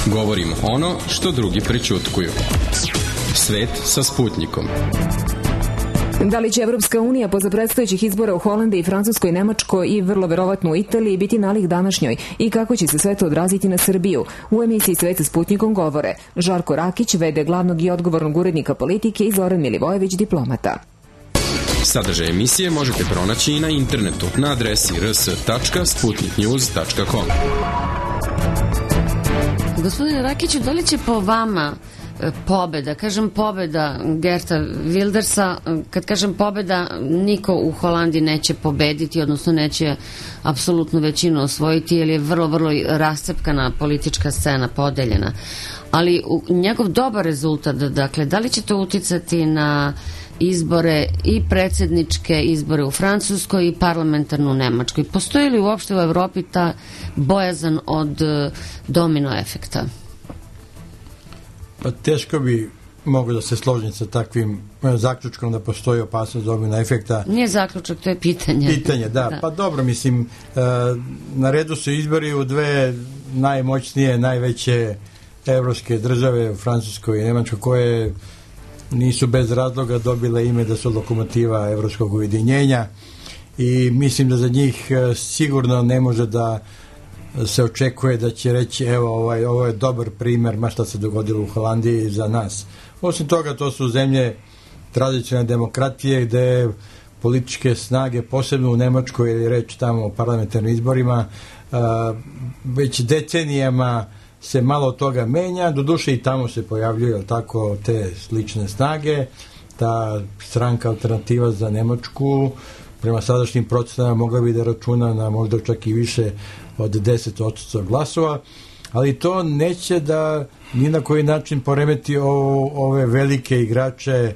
Govorimo ono što drugi prećutkuju. Svet sa Sputnikom. Da li će Evropska unija posle predstojećih izbora u Holandiji, Francuskoj, Nemačkoj i vrlo verovatno u Italiji biti nalik današnjoj i kako će se sve to odraziti na Srbiju? U emisiji Svet sa Sputnikom govore Žarko Rakić, v d glavnog i odgovornog urednika politike, i Zoran Milivojević, diplomata. Sadržaj emisije možete pronaći i na internetu na adresi r s tačka sputnik news tačka com. Gospodine Rakiću, da li će po vama pobeda, kažem pobeda Geerta Wildersa, kad kažem pobeda, niko u Holandiji neće pobediti, odnosno neće apsolutnu većinu osvojiti, jer je vrlo, vrlo rascepkana politička scena, podeljena. Ali njegov dobar rezultat, dakle, da li će to uticati na izbore i predsjedničke izbore u Francuskoj i parlamentarnu u Nemačkoj? Postoji li uopšte u Evropi ta bojazan od domino efekta? Pa teško bi mogu da se složim sa takvim zaključkom da postoji opasnost domino efekta. Nije zaključak, to je pitanje. Pitanje, da. da. Pa dobro, mislim, na redu su izbori u dve najmoćnije, najveće evropske države, u Francuskoj i Nemačkoj, koje nisu bez razloga dobile ime da su lokomotiva evropskog ujedinjenja, i mislim da za njih sigurno ne može da se očekuje da će reći evo ovaj, ovo je dobar primer ma šta se dogodilo u Holandiji za nas. Osim toga, to su zemlje tradicionalne demokratije gde političke snage, posebno u Nemačkoj, ili reč tamo o parlamentarnim izborima, a, već decenijama se malo toga menja, doduše i tamo se pojavljuju tako te slične snage. Ta stranka Alternativa za Nemačku prema sadašnjim procenama mogla bi da računa na možda čak i više od deset odstotka glasova, ali to neće da ni na koji način poremeti o, ove velike igrače,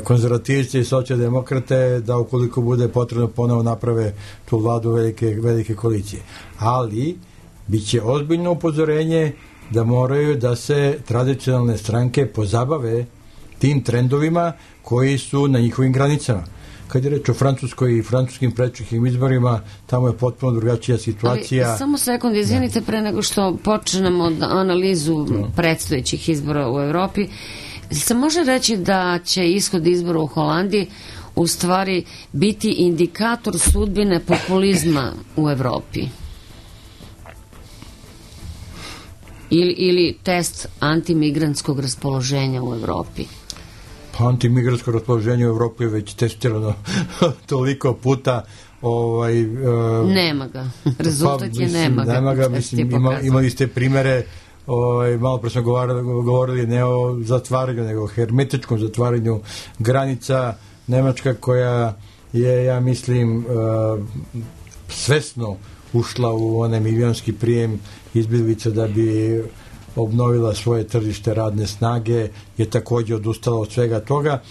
konzervativci i socijaldemokrate, da ukoliko bude potrebno ponovo naprave tu vladu velike, velike koalicije. Ali biće ozbiljno upozorenje da moraju da se tradicionalne stranke pozabave tim trendovima koji su na njihovim granicama. Kad je reč o Francuskoj i francuskim predčekim izborima, tamo je potpuno drugačija situacija. Ali, samo sekund, izvinite, pre nego što počnemo analizu no. predstojećih izbora u Evropi, se može reći da će ishod izbora u Holandiji u stvari biti indikator sudbine populizma u Evropi? Ili, ili test antimigrantskog raspoloženja u Evropi? Pa antimigrantsko raspoloženje u Evropi je već testirano toliko puta. Ovaj, uh, nema ga. Rezultat pa, mislim, je nema ga. Nema ga, mislim, ima, imali ste primere, ovaj, malo pre smo govorili, govorili ne o zatvaranju, nego o hermetičkom zatvaranju granica. Nemačka koja je, ja mislim, uh, svesno ušla u onaj milionski prijem izbjeglica da bi obnovila svoje tržište radne snage, je također odustala od svega toga.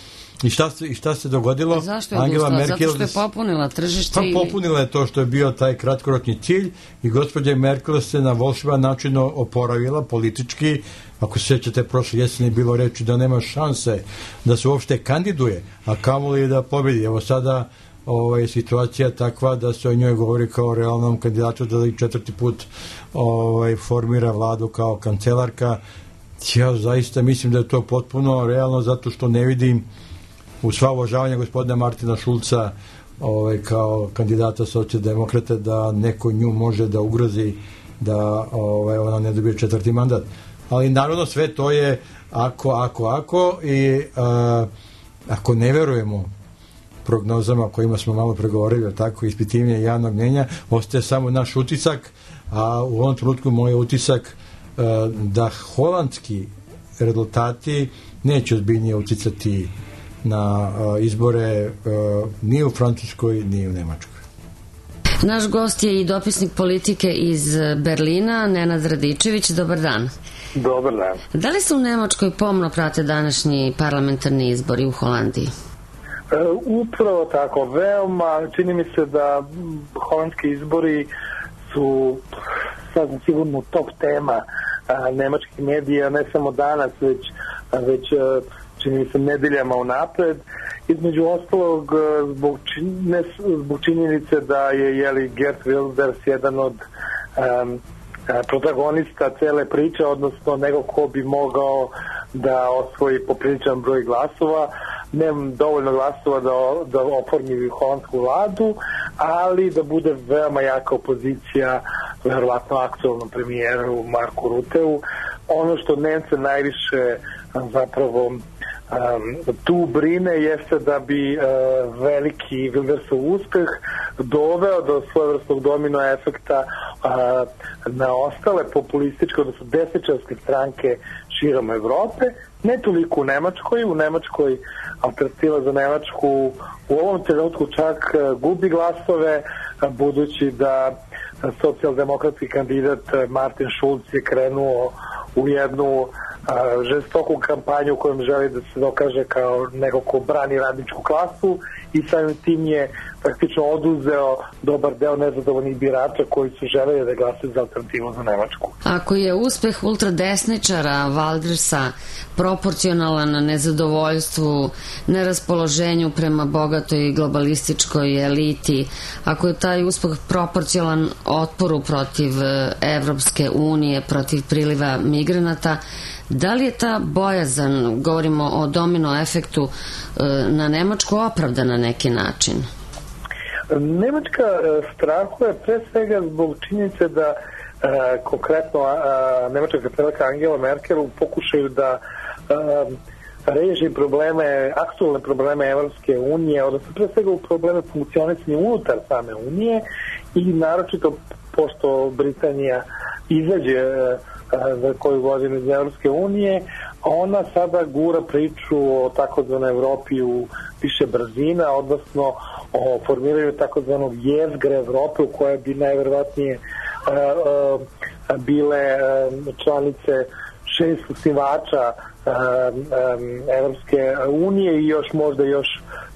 I šta se, i šta se dogodilo? Zašto je Angela odustala? Merkel, zato što je popunila tržište? Pa ili... popunila je to što je bio taj kratkoročni cilj, i gospođa Merkel se na volšeban način oporavila politički. Ako se sjećate, prošle jeseni bilo reči da nema šanse da se uopšte kandiduje, a kamoli da pobedi. Evo sada ovaj, situacija takva da se o njoj govori kao realnom kandidatu da li četvrti put ovaj, formira vladu kao kancelarka. Ja zaista mislim da je to potpuno realno, zato što ne vidim, u sva uvažavanja gospodina Martina Šulca ovaj, kao kandidata socijaldemokrata, da neko nju može da ugrozi da ovaj, ona ne dobije četvrti mandat. Ali naravno sve to je ako, ako, ako i a, ako ne verujemo prognozama kojima smo malo pregovorili, tako ispitivanje javnog mnjenja, ostaje samo naš utisak, a u ovom trenutku moj utisak da holandski rezultati neće ozbiljnije uticati na izbore ni u Francuskoj ni u Nemačkoj. Naš gost je i dopisnik politike iz Berlina, Nenad Radičević. Dobar dan. Dobar dan. Da li se u Nemačkoj pomno prate današnji parlamentarni izbori u Holandiji? E, upravo tako, veoma, čini mi se da holandski izbori su sasvim sigurno top tema a, nemačkih medija, ne samo danas, već, a, već a, čini mi se nedeljama unapred. Između ostalog, zbog, čin, ne, zbog činjenice da je jeli, Geert Wilders jedan od um, protagonista cele priče, odnosno nego ko bi mogao da osvoji popriličan broj glasova, nemam dovoljno glasova da, da oformi holandsku vladu, ali da bude veoma jaka opozicija verovatno aktualnom premijeru Marku Ruteu. Ono što Nemce najviše zapravo Um, tu brine jeste da bi uh, veliki Wildersov uspeh doveo do svojevrsnog domino efekta uh, na ostale populističke, odnosno desničarske stranke širom Evrope, ne toliko u Nemačkoj. U Nemačkoj Alternativa za Nemačku u ovom trenutku čak uh, gubi glasove, uh, budući da uh, socijaldemokratski kandidat uh, Martin Schulz je krenuo u jednu a, žestoku kampanju u kojom želi da se dokaže kao neko ko brani radničku klasu i samim tim je praktično oduzeo dobar deo nezadovoljnih birača koji su želeli da glasaju za Alternativu za Nemačku. Ako je uspeh ultradesničara Wildersa proporcionalan nezadovoljstvu, neraspoloženju prema bogatoj globalističkoj eliti, ako je taj uspeh proporcionalan otporu protiv Evropske unije, protiv priliva migranata, da li je ta bojazan, govorimo o domino efektu, na Nemačku opravdana na neki način? Nemačka strahuje pre svega zbog činjenice da e, konkretno a, nemačka kancelarka Angela Merkel u pokušaju da a, reši probleme, aktualne probleme Evropske unije, odnosno pre svega u probleme funkcionisanja unutar same unije i naročito pošto Britanija izađe za koju godinu iz Evropske unije, ona sada gura priču o takozvanoj Evropi u više brzina, odnosno o formiranju takozvanog jezgre Evrope u kojoj bi najverovatnije uh, uh, bile uh, članice šest osnivača uh, um, Evropske unije i još možda još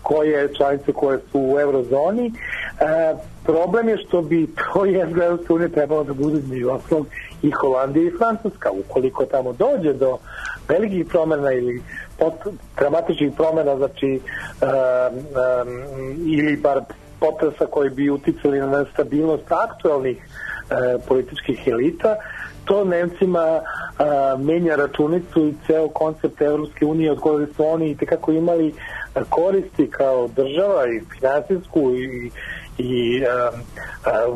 koje članice koje su u eurozoni. Uh, problem je što bi to jezgra Evropske unije trebalo da bude između ostalog i Holandija i Francuska. Ukoliko tamo dođe do velikih promjena ili pot, dramatičnih promjena, znači um, um, ili bar potresa koji bi uticali na nestabilnost aktualnih uh, političkih elita, to Nemcima uh, menja računicu i ceo koncept Evropske unije od koje su oni itekako imali uh, koristi kao država i finansijsku i, i uh,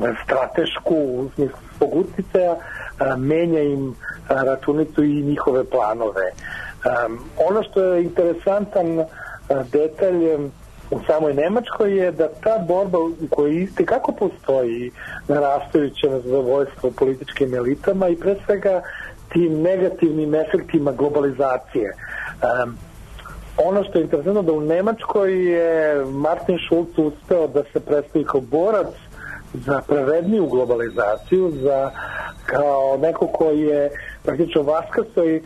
uh, stratešku u smislu svog uticaja, uh, menja im uh, računicu i njihove planove. Um, ono što je interesantan uh, detalj um, u samoj Nemačkoj je da ta borba u kojoj isti kako postoji narastajuće nezadovoljstvo političkim elitama i pre svega tim negativnim efektima globalizacije. Um, ono što je interesantno da u Nemačkoj je Martin Schulz uspeo da se predstavi kao borac za pravedniju globalizaciju, za kao neko koji je praktično vaskrsao i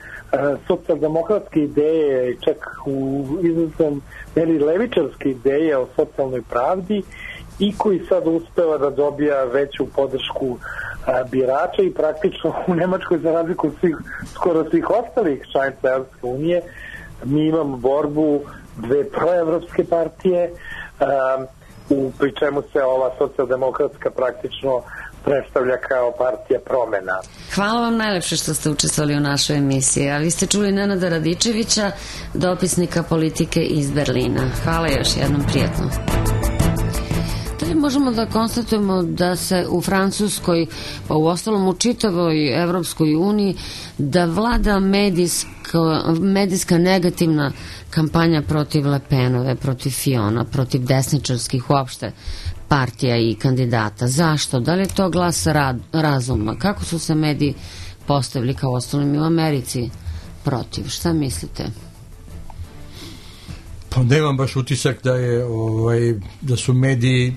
socijaldemokratske ideje i čak u izrazom meri levičarske ideje o socijalnoj pravdi i koji sad uspeva da dobija veću podršku a, birača i praktično u Nemačkoj za razliku od svih, skoro svih ostalih članica Evropske unije mi imamo borbu dve proevropske partije a, u pri čemu se ova socijaldemokratska praktično predstavlja kao partija promena. Hvala vam najlepše što ste učestvovali u našoj emisiji. A vi ste čuli Nenada Radičevića, dopisnika politike iz Berlina. Hvala još jednom, prijetno. Možemo da konstatujemo da se u Francuskoj, pa u ostalom u čitavoj Evropskoj uniji, da vlada medijska, medijska negativna kampanja protiv Le Penove, protiv Fiona, protiv desničarskih uopšte partija i kandidata. Zašto? Da li je to glas rad, razuma? Kako su se mediji postavili kao ostalim i u Americi protiv. Šta mislite? Pa nemam baš utisak da je ovaj, da su mediji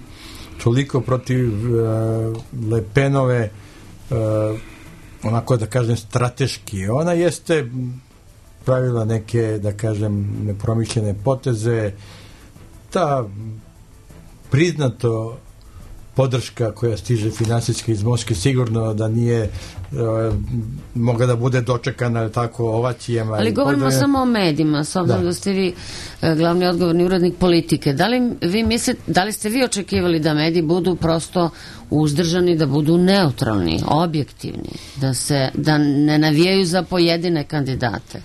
toliko protiv uh, Le Penove uh, onako da kažem strateški. Ona jeste pravila neke, da kažem, nepromišljene poteze. Ta priznato podrška koja stiže finansijski iz Moskve sigurno da nije e, mogla da bude dočekana tako ovacijama. Ali govorimo podre... samo o medijima, s obzirom da. da ste vi e, glavni odgovorni urednik Politike. Da li vi mislite, da li ste vi očekivali da mediji budu prosto uzdržani, da budu neutralni, objektivni, da se da ne navijaju za pojedine kandidate?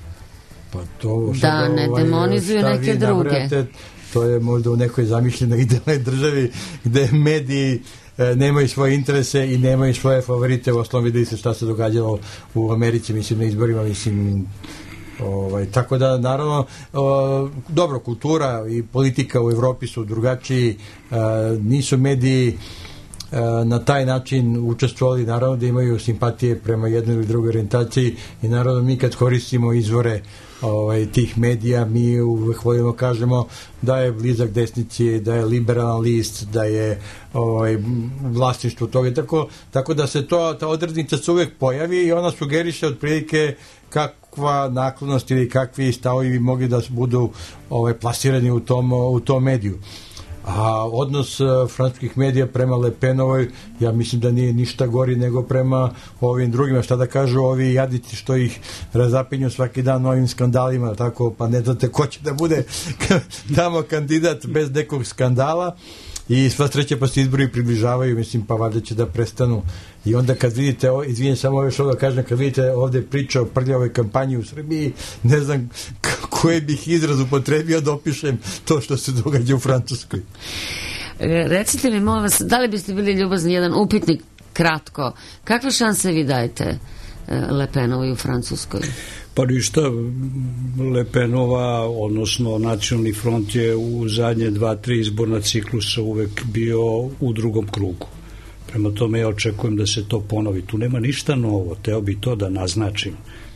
Pa to da ne ovaj, demonizuju neke druge. Nabrate, to je možda u nekoj zamišljenoj idealnoj državi gde mediji e, nemaju svoje interese i nemaju svoje favorite. U osnovu vidi se šta se događalo u Americi, mislim, na izborima, mislim, ovaj, tako da, naravno, o, dobro, kultura i politika u Evropi su drugačiji, e, nisu mediji e, na taj način učestvovali, naravno da imaju simpatije prema jednoj ili drugoj orijentaciji i naravno mi kad koristimo izvore ovaj, tih medija, mi uvek volimo kažemo da je blizak desnici, da je liberalan list, da je ovaj, vlasništvo toga. Tako, tako da se to, ta odrednica se uvek pojavi i ona sugeriše otprilike kakva naklonost ili kakvi stavovi bi mogli da budu ovaj, plasirani u tom, u tom mediju. A odnos uh, francuskih medija prema Le Penovoj, ja mislim da nije ništa gori nego prema ovim drugima. Šta da kažu ovi jadici što ih razapinju svaki dan novim skandalima, tako, pa ne znate ko će da bude tamo kandidat bez nekog skandala. I sva sreća pa se izbori približavaju, mislim, pa valjda će da prestanu. I onda kad vidite, izvinjam samo još ovo da kažem, kad vidite ovde priča o prljavoj kampanji u Srbiji, ne znam koje bih izraz upotrebio da opišem to što se događa u Francuskoj. Recite mi, molim vas, da li biste bili ljubazni jedan upitnik kratko, kakve šanse vi dajete Le Penovoj u Francuskoj? Pa ništa, Le Penova, odnosno Nacionalni front je u zadnje dva, tri izborna ciklusa uvek bio u drugom krugu. Prema tome ja očekujem da se to ponovi. Tu nema ništa novo, teo bi to da naznačim.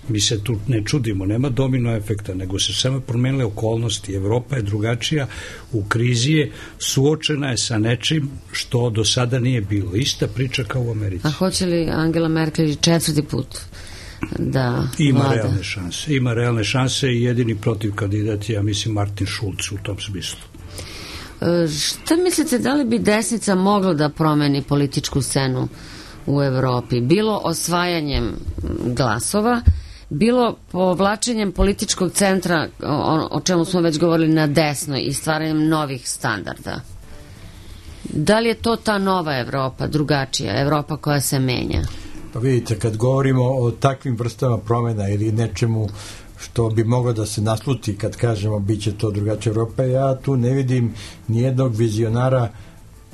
Mi se tu ne čudimo, nema domino efekta, nego se samo promenile okolnosti. Evropa je drugačija, u krizi je, suočena je sa nečim što do sada nije bilo. Ista priča kao u Americi. A hoće li Angela Merkel četvrti put da ima vlada? realne šanse. Ima realne šanse i jedini protiv kandidat je, ja mislim, Martin Schulz u tom smislu. E, šta mislite, da li bi desnica mogla da promeni političku scenu u Evropi? Bilo osvajanjem glasova, bilo povlačenjem političkog centra, o, o čemu smo već govorili, na desno i stvaranjem novih standarda. Da li je to ta nova Evropa, drugačija Evropa koja se menja? Pa vidite, kad govorimo o takvim vrstama promjena ili nečemu što bi moglo da se nasluti kad kažemo bit će to drugačija Evropa, ja tu ne vidim nijednog vizionara,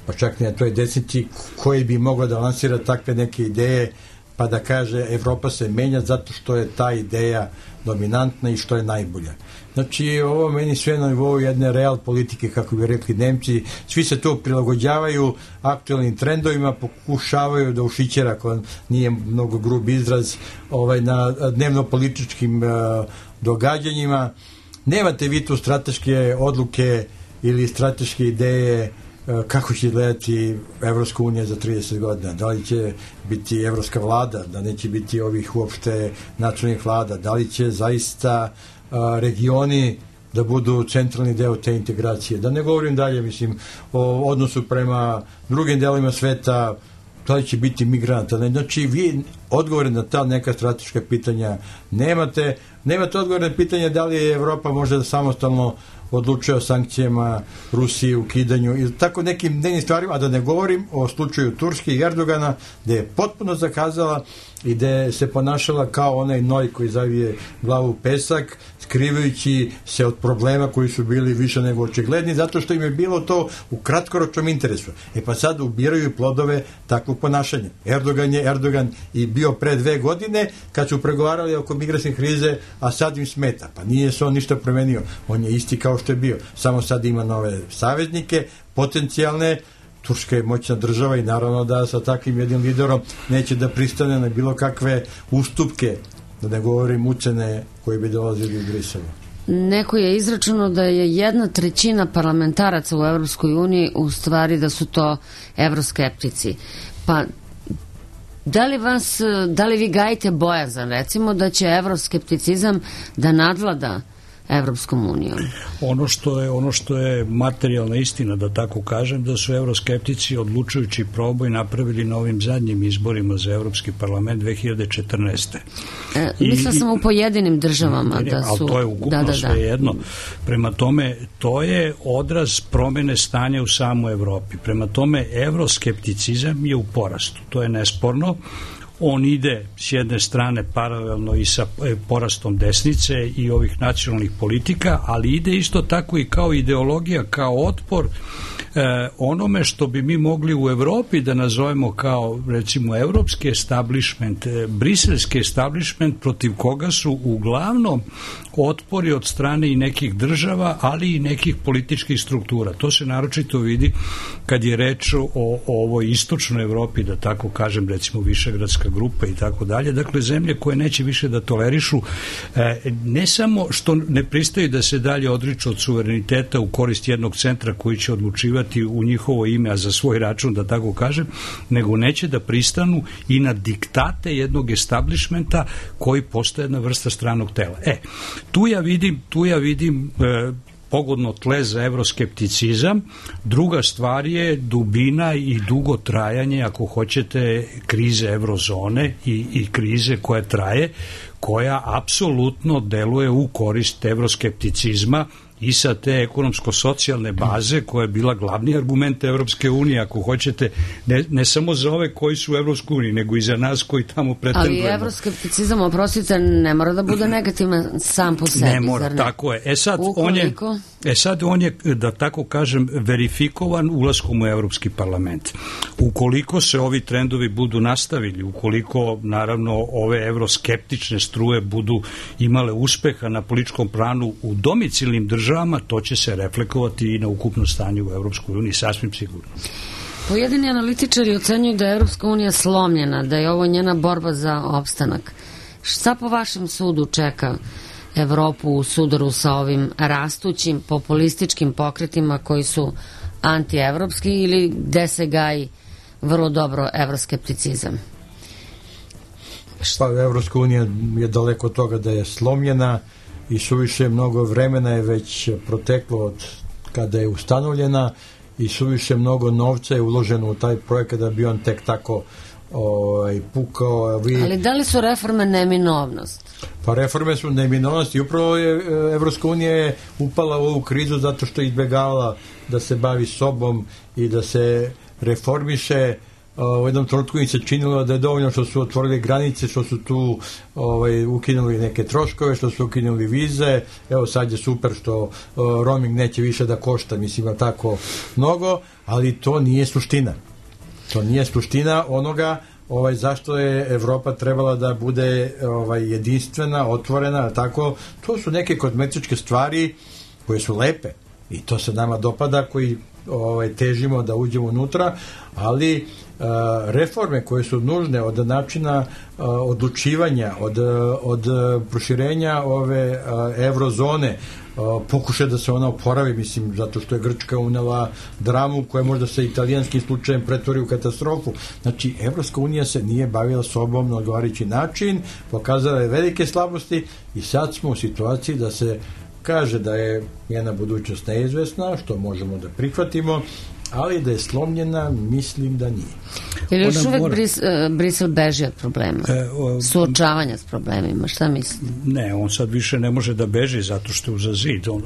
pa čak ne na toj desnici, koji bi moglo da lansira takve neke ideje pa da kaže Evropa se menja zato što je ta ideja dominantna i što je najbolja. Znači, ovo meni sve na nivou jedne real politike, kako bi rekli Nemci, svi se tu prilagođavaju aktualnim trendovima, pokušavaju da ušićera, ako nije mnogo grub izraz, ovaj, na dnevno-političkim uh, događanjima. Nemate vi tu strateške odluke ili strateške ideje kako će gledati Evropska unija za trideset godina, da li će biti evropska vlada, da neće biti ovih uopšte nacionalnih vlada, da li će zaista a, regioni da budu centralni deo te integracije. Da ne govorim dalje, mislim, o odnosu prema drugim delima sveta, da li će biti migranata. Znači, vi odgovore na ta neka strateška pitanja nemate. Nemate odgovore na pitanje da li je Evropa možda samostalno odlučuje o sankcijama Rusiji, ukidanju i tako nekim dnevnim stvarima, a da ne govorim o slučaju Turske i Erdogana, gde je potpuno zakazala i gde se ponašala kao onaj noj koji zavije glavu u pesak, skrivajući se od problema koji su bili više nego očigledni, zato što im je bilo to u kratkoročnom interesu. E pa sad ubiraju plodove takvog ponašanja. Erdogan je Erdogan i bio pre dve godine kad su pregovarali oko migrantske krize, a sad im smeta. Pa nije se on ništa promenio. On je isti kao što je bio. Samo sad ima nove saveznike, potencijalne. Turska je moćna država i naravno da sa takvim jednim liderom neće da pristane na bilo kakve ustupke, da ne govorim ucene koji bi dolazili u Briselu. Neko je izračunao da je jedna trećina parlamentaraca u Evropskoj uniji u stvari da su to evroskeptici. Pa da li vas, da li vi gajite bojazan, recimo, da će evroskepticizam da nadvlada Evropskom unijom? Ono što je, ono što je materijalna istina, da tako kažem, da su evroskeptici odlučujući proboj napravili na ovim zadnjim izborima za Evropski parlament dve hiljade četrnaeste. E, mislila sam u pojedinim državama ne, da su... Ali to je ukupno da, da, da. sve jedno. Prema tome, to je odraz promene stanja u samoj Evropi. Prema tome, evroskepticizam je u porastu. To je nesporno. On ide s jedne strane paralelno i sa porastom desnice i ovih nacionalnih politika, ali ide isto tako i kao ideologija, kao otpor e, onome što bi mi mogli u Evropi da nazovemo kao, recimo, evropski establishment, e, briselski establishment, protiv koga su uglavnom otpori od strane i nekih država, ali i nekih političkih struktura. To se naročito vidi kad je reč o, o ovoj istočnoj Evropi, da tako kažem, recimo Višegradska grupa i tako dalje. Dakle, zemlje koje neće više da tolerišu, e, ne samo što ne pristaju da se dalje odriču od suvereniteta u korist jednog centra koji će odlučivati u njihovo ime, a za svoj račun, da tako kažem, nego neće da pristanu i na diktate jednog establishmenta koji postaje jedna vrsta stranog tela. E, tu ja vidim, tu ja vidim e, pogodno tle za evroskepticizam. Druga stvar je dubina i dugo trajanje, ako hoćete, krize evrozone i, i krize koja traje, koja apsolutno deluje u korist evroskepticizma i sa te ekonomsko-socijalne baze koja je bila glavni argument Evropske unije, ako hoćete, ne, ne samo za ove koji su u Evropskoj uniji, nego i za nas koji tamo pretendujemo. Ali evroskepticizam, oprostite, ne mora da bude negativan sam po sebi. Ne mora, ne? Tako je. E sad, on je, e sad on je, da tako kažem, verifikovan ulaskom u Evropski parlament. Ukoliko se ovi trendovi budu nastavili, ukoliko, naravno, ove evroskeptične struje budu imale uspeha na političkom planu u domicilnim državama, to će se reflekovati i na ukupno stanje u Evropskoj uniji, sasvim sigurno. Pojedini analitičari ocenjuju da je Evropska unija slomljena, da je ovo njena borba za opstanak. Šta po vašem sudu čeka Evropu u sudaru sa ovim rastućim populističkim pokretima koji su antievropski ili gde se gaji vrlo dobro evroskepticizam? Šta, Evropska unija je daleko od toga da je slomljena i suviše mnogo vremena je već proteklo od kada je ustanovljena i suviše mnogo novca je uloženo u taj projekat da bi on tek tako ovaj, pukao. Vi... Ali da li su reforme neminovnost? Pa reforme su neminovnost i upravo je Evropska unija je upala u ovu krizu zato što je izbjegavala da se bavi sobom i da se reformiše. U jednom trenutku im se činilo da je dovoljno što su otvorili granice, što su tu ovaj, ukinuli neke troškove, što su ukinuli vize. Evo sad je super što uh, roaming neće više da košta, mislim, tako mnogo, ali to nije suština. To nije suština onoga ovaj, zašto je Evropa trebala da bude ovaj, jedinstvena, otvorena, tako. To su neke kozmetičke stvari koje su lepe i to se nama dopada, koji ovaj, težimo da uđemo unutra, ali Uh, reforme koje su nužne od načina uh, odlučivanja, od, od proširenja ove uh, evrozone, uh, pokušaj da se ona oporavi, mislim, zato što je Grčka unela dramu koja možda se italijanskim slučajem pretvori u katastrofu. Znači, Evropska unija se nije bavila sobom na odgovarajući način, pokazala je velike slabosti i sad smo u situaciji da se kaže da je njena budućnost neizvesna, što možemo da prihvatimo, ali da je slomljena, mislim da nije. Ili još uvek mora... Bris, uh, Brisel beži od problema? E, o, Suočavanja s problemima, šta mislite? Ne, on sad više ne može da beži zato što je uza zid. On,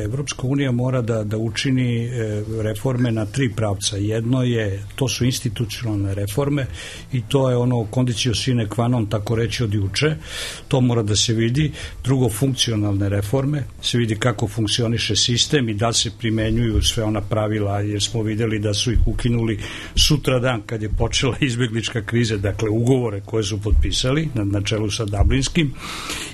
Evropska unija mora da, da učini e, reforme na tri pravca. Jedno je, to su institucionalne reforme i to je ono condicio sine qua non, tako reći od juče. To mora da se vidi. Drugo, funkcionalne reforme. Se vidi kako funkcioniše sistem i da se primenjuju sve ona pravila, jer smo videli da su ih ukinuli sutra dan kad je počela izbjeglička kriza, dakle ugovore koje su potpisali na, na čelu sa Dublinskim.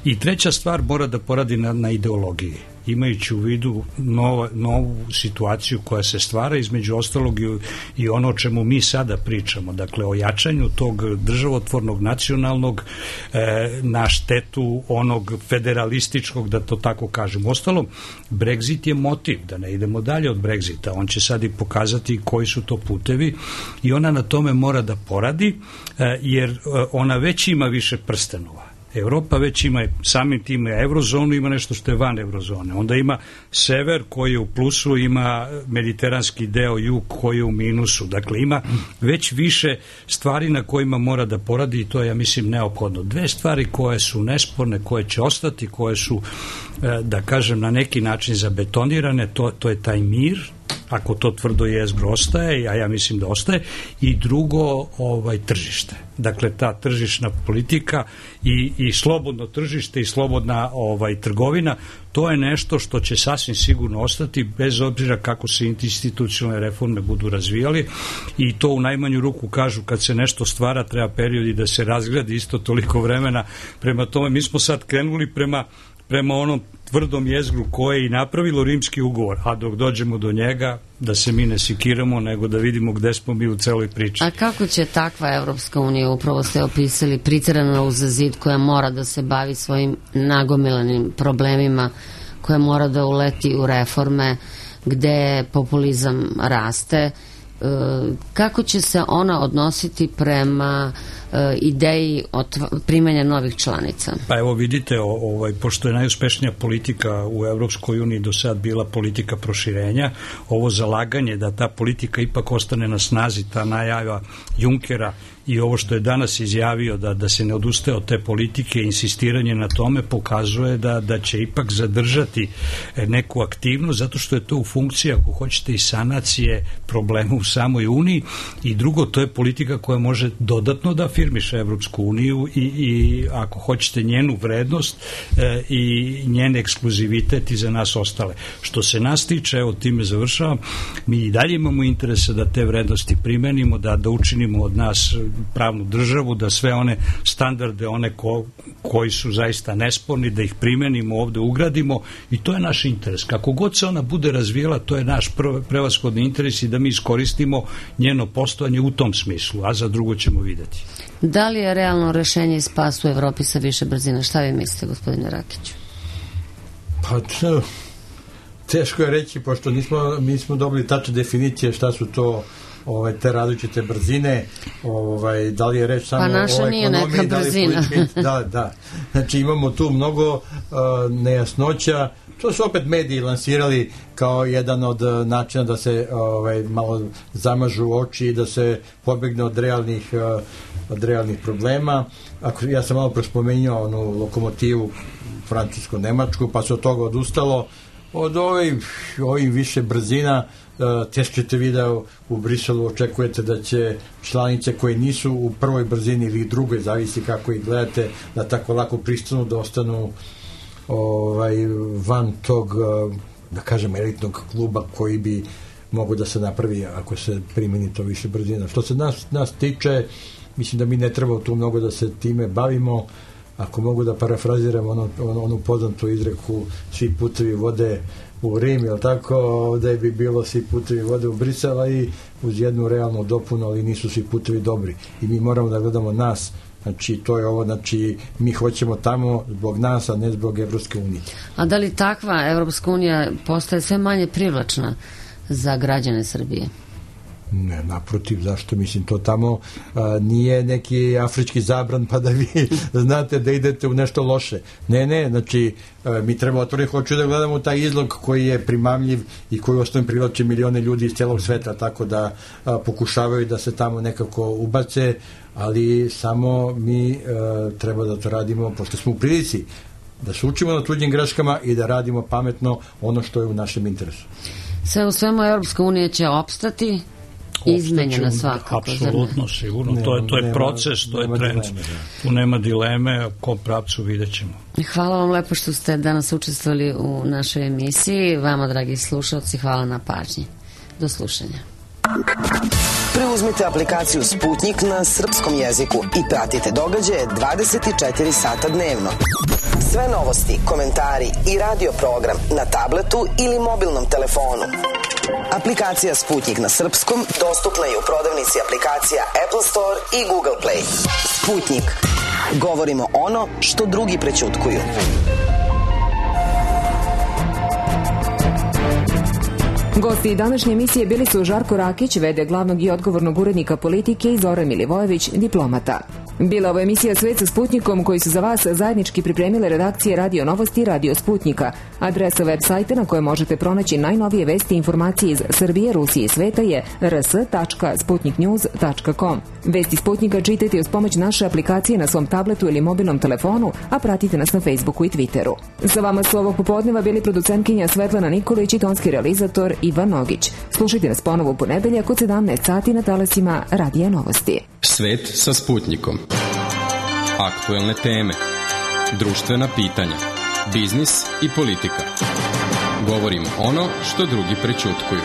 I treća stvar, mora da poradi na, na ideologiji. imajući u vidu nova, novu situaciju koja se stvara, između ostalog i, i ono o čemu mi sada pričamo, dakle o jačanju tog državotvornog nacionalnog e, na štetu onog federalističkog, da to tako kažem. Ostalom, Brexit je motiv, da ne idemo dalje od Brexita, on će sad i pokazati koji su to putevi i ona na tome mora da poradi, e, jer ona već ima više prstenova. Evropa već ima samim tim eurozonu, ima nešto što je van eurozone. Onda ima sever koji je u plusu, ima mediteranski deo, jug koji je u minusu. Dakle, ima već više stvari na kojima mora da poradi i to je, ja mislim, neophodno. Dve stvari koje su nesporne, koje će ostati, koje su, da kažem, na neki način zabetonirane, to, to je taj mir, ako to tvrdo jezgro ostaje, a ja mislim da ostaje, i drugo, ovaj, tržište. Dakle, ta tržišna politika i, i slobodno tržište i slobodna ovaj, trgovina, to je nešto što će sasvim sigurno ostati, bez obzira kako se institucionalne reforme budu razvijali, i to u najmanju ruku kažu, kad se nešto stvara, treba period i da se razgradi isto toliko vremena. Prema tome, mi smo sad krenuli prema prema onom tvrdom jezgru koje je i napravilo Rimski ugovor, a dok dođemo do njega, da se mi ne sikiramo, nego da vidimo gde smo mi u celoj priči. A kako će takva Evropska unija, upravo ste opisali, pritrana uz zid, koja mora da se bavi svojim nagomilanim problemima, koja mora da uleti u reforme, gde populizam raste, kako će se ona odnositi prema ideji primanja novih članica? Pa evo vidite, ovaj, pošto je najuspešnija politika u Evropskoj uniji do sad bila politika proširenja, ovo zalaganje da ta politika ipak ostane na snazi, ta najava Junckera i ovo što je danas izjavio da, da se ne odustaje od te politike, insistiranje na tome pokazuje da, da će ipak zadržati neku aktivnost, zato što je to u funkciji, ako hoćete, i sanacije problema u samoj Uniji, i drugo, to je politika koja može dodatno da afirmiše Evropsku uniju i, i ako hoćete, njenu vrednost e, i njen ekskluzivitet i za nas ostale. Što se nas tiče, evo time završavam, mi i dalje imamo interese da te vrednosti primenimo, da, da učinimo od nas pravnu državu, da sve one standarde, one ko, koji su zaista nesporni, da ih primenimo ovde, ugradimo, i to je naš interes. Kako god se ona bude razvijela, to je naš prevashodni interes i da mi iskoristimo njeno postojanje u tom smislu, a za drugo ćemo videti. Da li je realno rešenje i spas u Evropi sa više brzina? Šta vi mislite, gospodine Rakiću? Pa teško je reći, pošto nismo, mi smo dobili tačne definicije šta su to ovaj, te različite brzine, ovaj, da li je reč samo pa naša o nije ekonomiji, neka brzina. Da, da, da. Znači imamo tu mnogo uh, nejasnoća. To su opet mediji lansirali kao jedan od načina da se ovaj, malo zamažu oči i da se pobegne od realnih, uh, od realnih problema. Ako, ja sam malo prospomenuo onu lokomotivu francusko-nemačku, pa se od toga odustalo. Od ovih, ovih više brzina teško ćete vi da u Briselu očekujete da će članice koje nisu u prvoj brzini ili drugoj, zavisi kako ih gledate, da tako lako pristanu da ostanu ovaj, van tog, da kažem, elitnog kluba koji bi mogu da se napravi ako se primeni to više brzina. Što se nas, nas tiče, mislim da mi ne treba tu mnogo da se time bavimo. Ako mogu da parafraziram ono, ono, onu poznatu izreku, svi putevi vode u Rim, jel tako, ovde bi bilo svi putevi vode u Brisela, i uz jednu realnu dopunu, ali nisu svi putevi dobri. I mi moramo da gledamo nas, znači to je ovo, znači mi hoćemo tamo zbog nas, a ne zbog Evropske unije. A da li takva Evropska unija postaje sve manje privlačna za građane Srbije? Ne, naprotiv, zašto? Mislim, to tamo a, nije neki afrički zabran pa da vi znate da idete u nešto loše. Ne, ne, znači a, mi treba otvoriti, hoću da gledamo taj izlog koji je primamljiv i koji ostane privlače milione ljudi iz celog sveta, tako da a, pokušavaju da se tamo nekako ubace, ali samo mi a, treba da to radimo, pošto smo u prilici da se učimo na tuđim greškama i da radimo pametno ono što je u našem interesu. Sve u svemu Evropska unija će opstati, izmenjena svakako. Apsolutno, sigurno. Ne, to je, to je nema, proces, to je trend. Dileme, da. Tu nema dileme, u kom pravcu vidjet ćemo. Hvala vam lepo što ste danas učestvovali u našoj emisiji. Vama, dragi slušalci, hvala na pažnji. Do slušanja. Preuzmite aplikaciju Sputnik na srpskom jeziku i pratite događaje dvadeset četiri sata dnevno. Sve novosti, komentari i radio program na tabletu ili mobilnom telefonu. Aplikacija Sputnik na srpskom dostupna je u prodavnici aplikacija Apple Store i Google Play. Sputnik. Govorimo ono što drugi prećutkuju. Gosti današnje emisije bili su Žarko Rakić, v d glavnog i odgovornog urednika politike, i Zoran Milivojević, diplomata. Bila ovo emisija Svet sa Sputnikom, koji su za vas zajednički pripremile redakcije Radio Novosti i Radio Sputnika. Adresa web sajta na kojoj možete pronaći najnovije vesti i informacije iz Srbije, Rusije i sveta je r s tačka sputnik news tačka com. Vesti Sputnika čitajte uz pomoć naše aplikacije na svom tabletu ili mobilnom telefonu, a pratite nas na Facebooku i Twitteru. Sa vama su ovog popodneva bili producentkinja Svetlana Nikolić i tonski realizator Ivan Nogić. Slušajte nas ponovo u ponedeljak od sedamnaest sati na talasima Radija Novosti. Svet sa Sputnikom. Aktuelne teme, društvena pitanja, biznis i politika. Govorimo ono što drugi prećutkuju.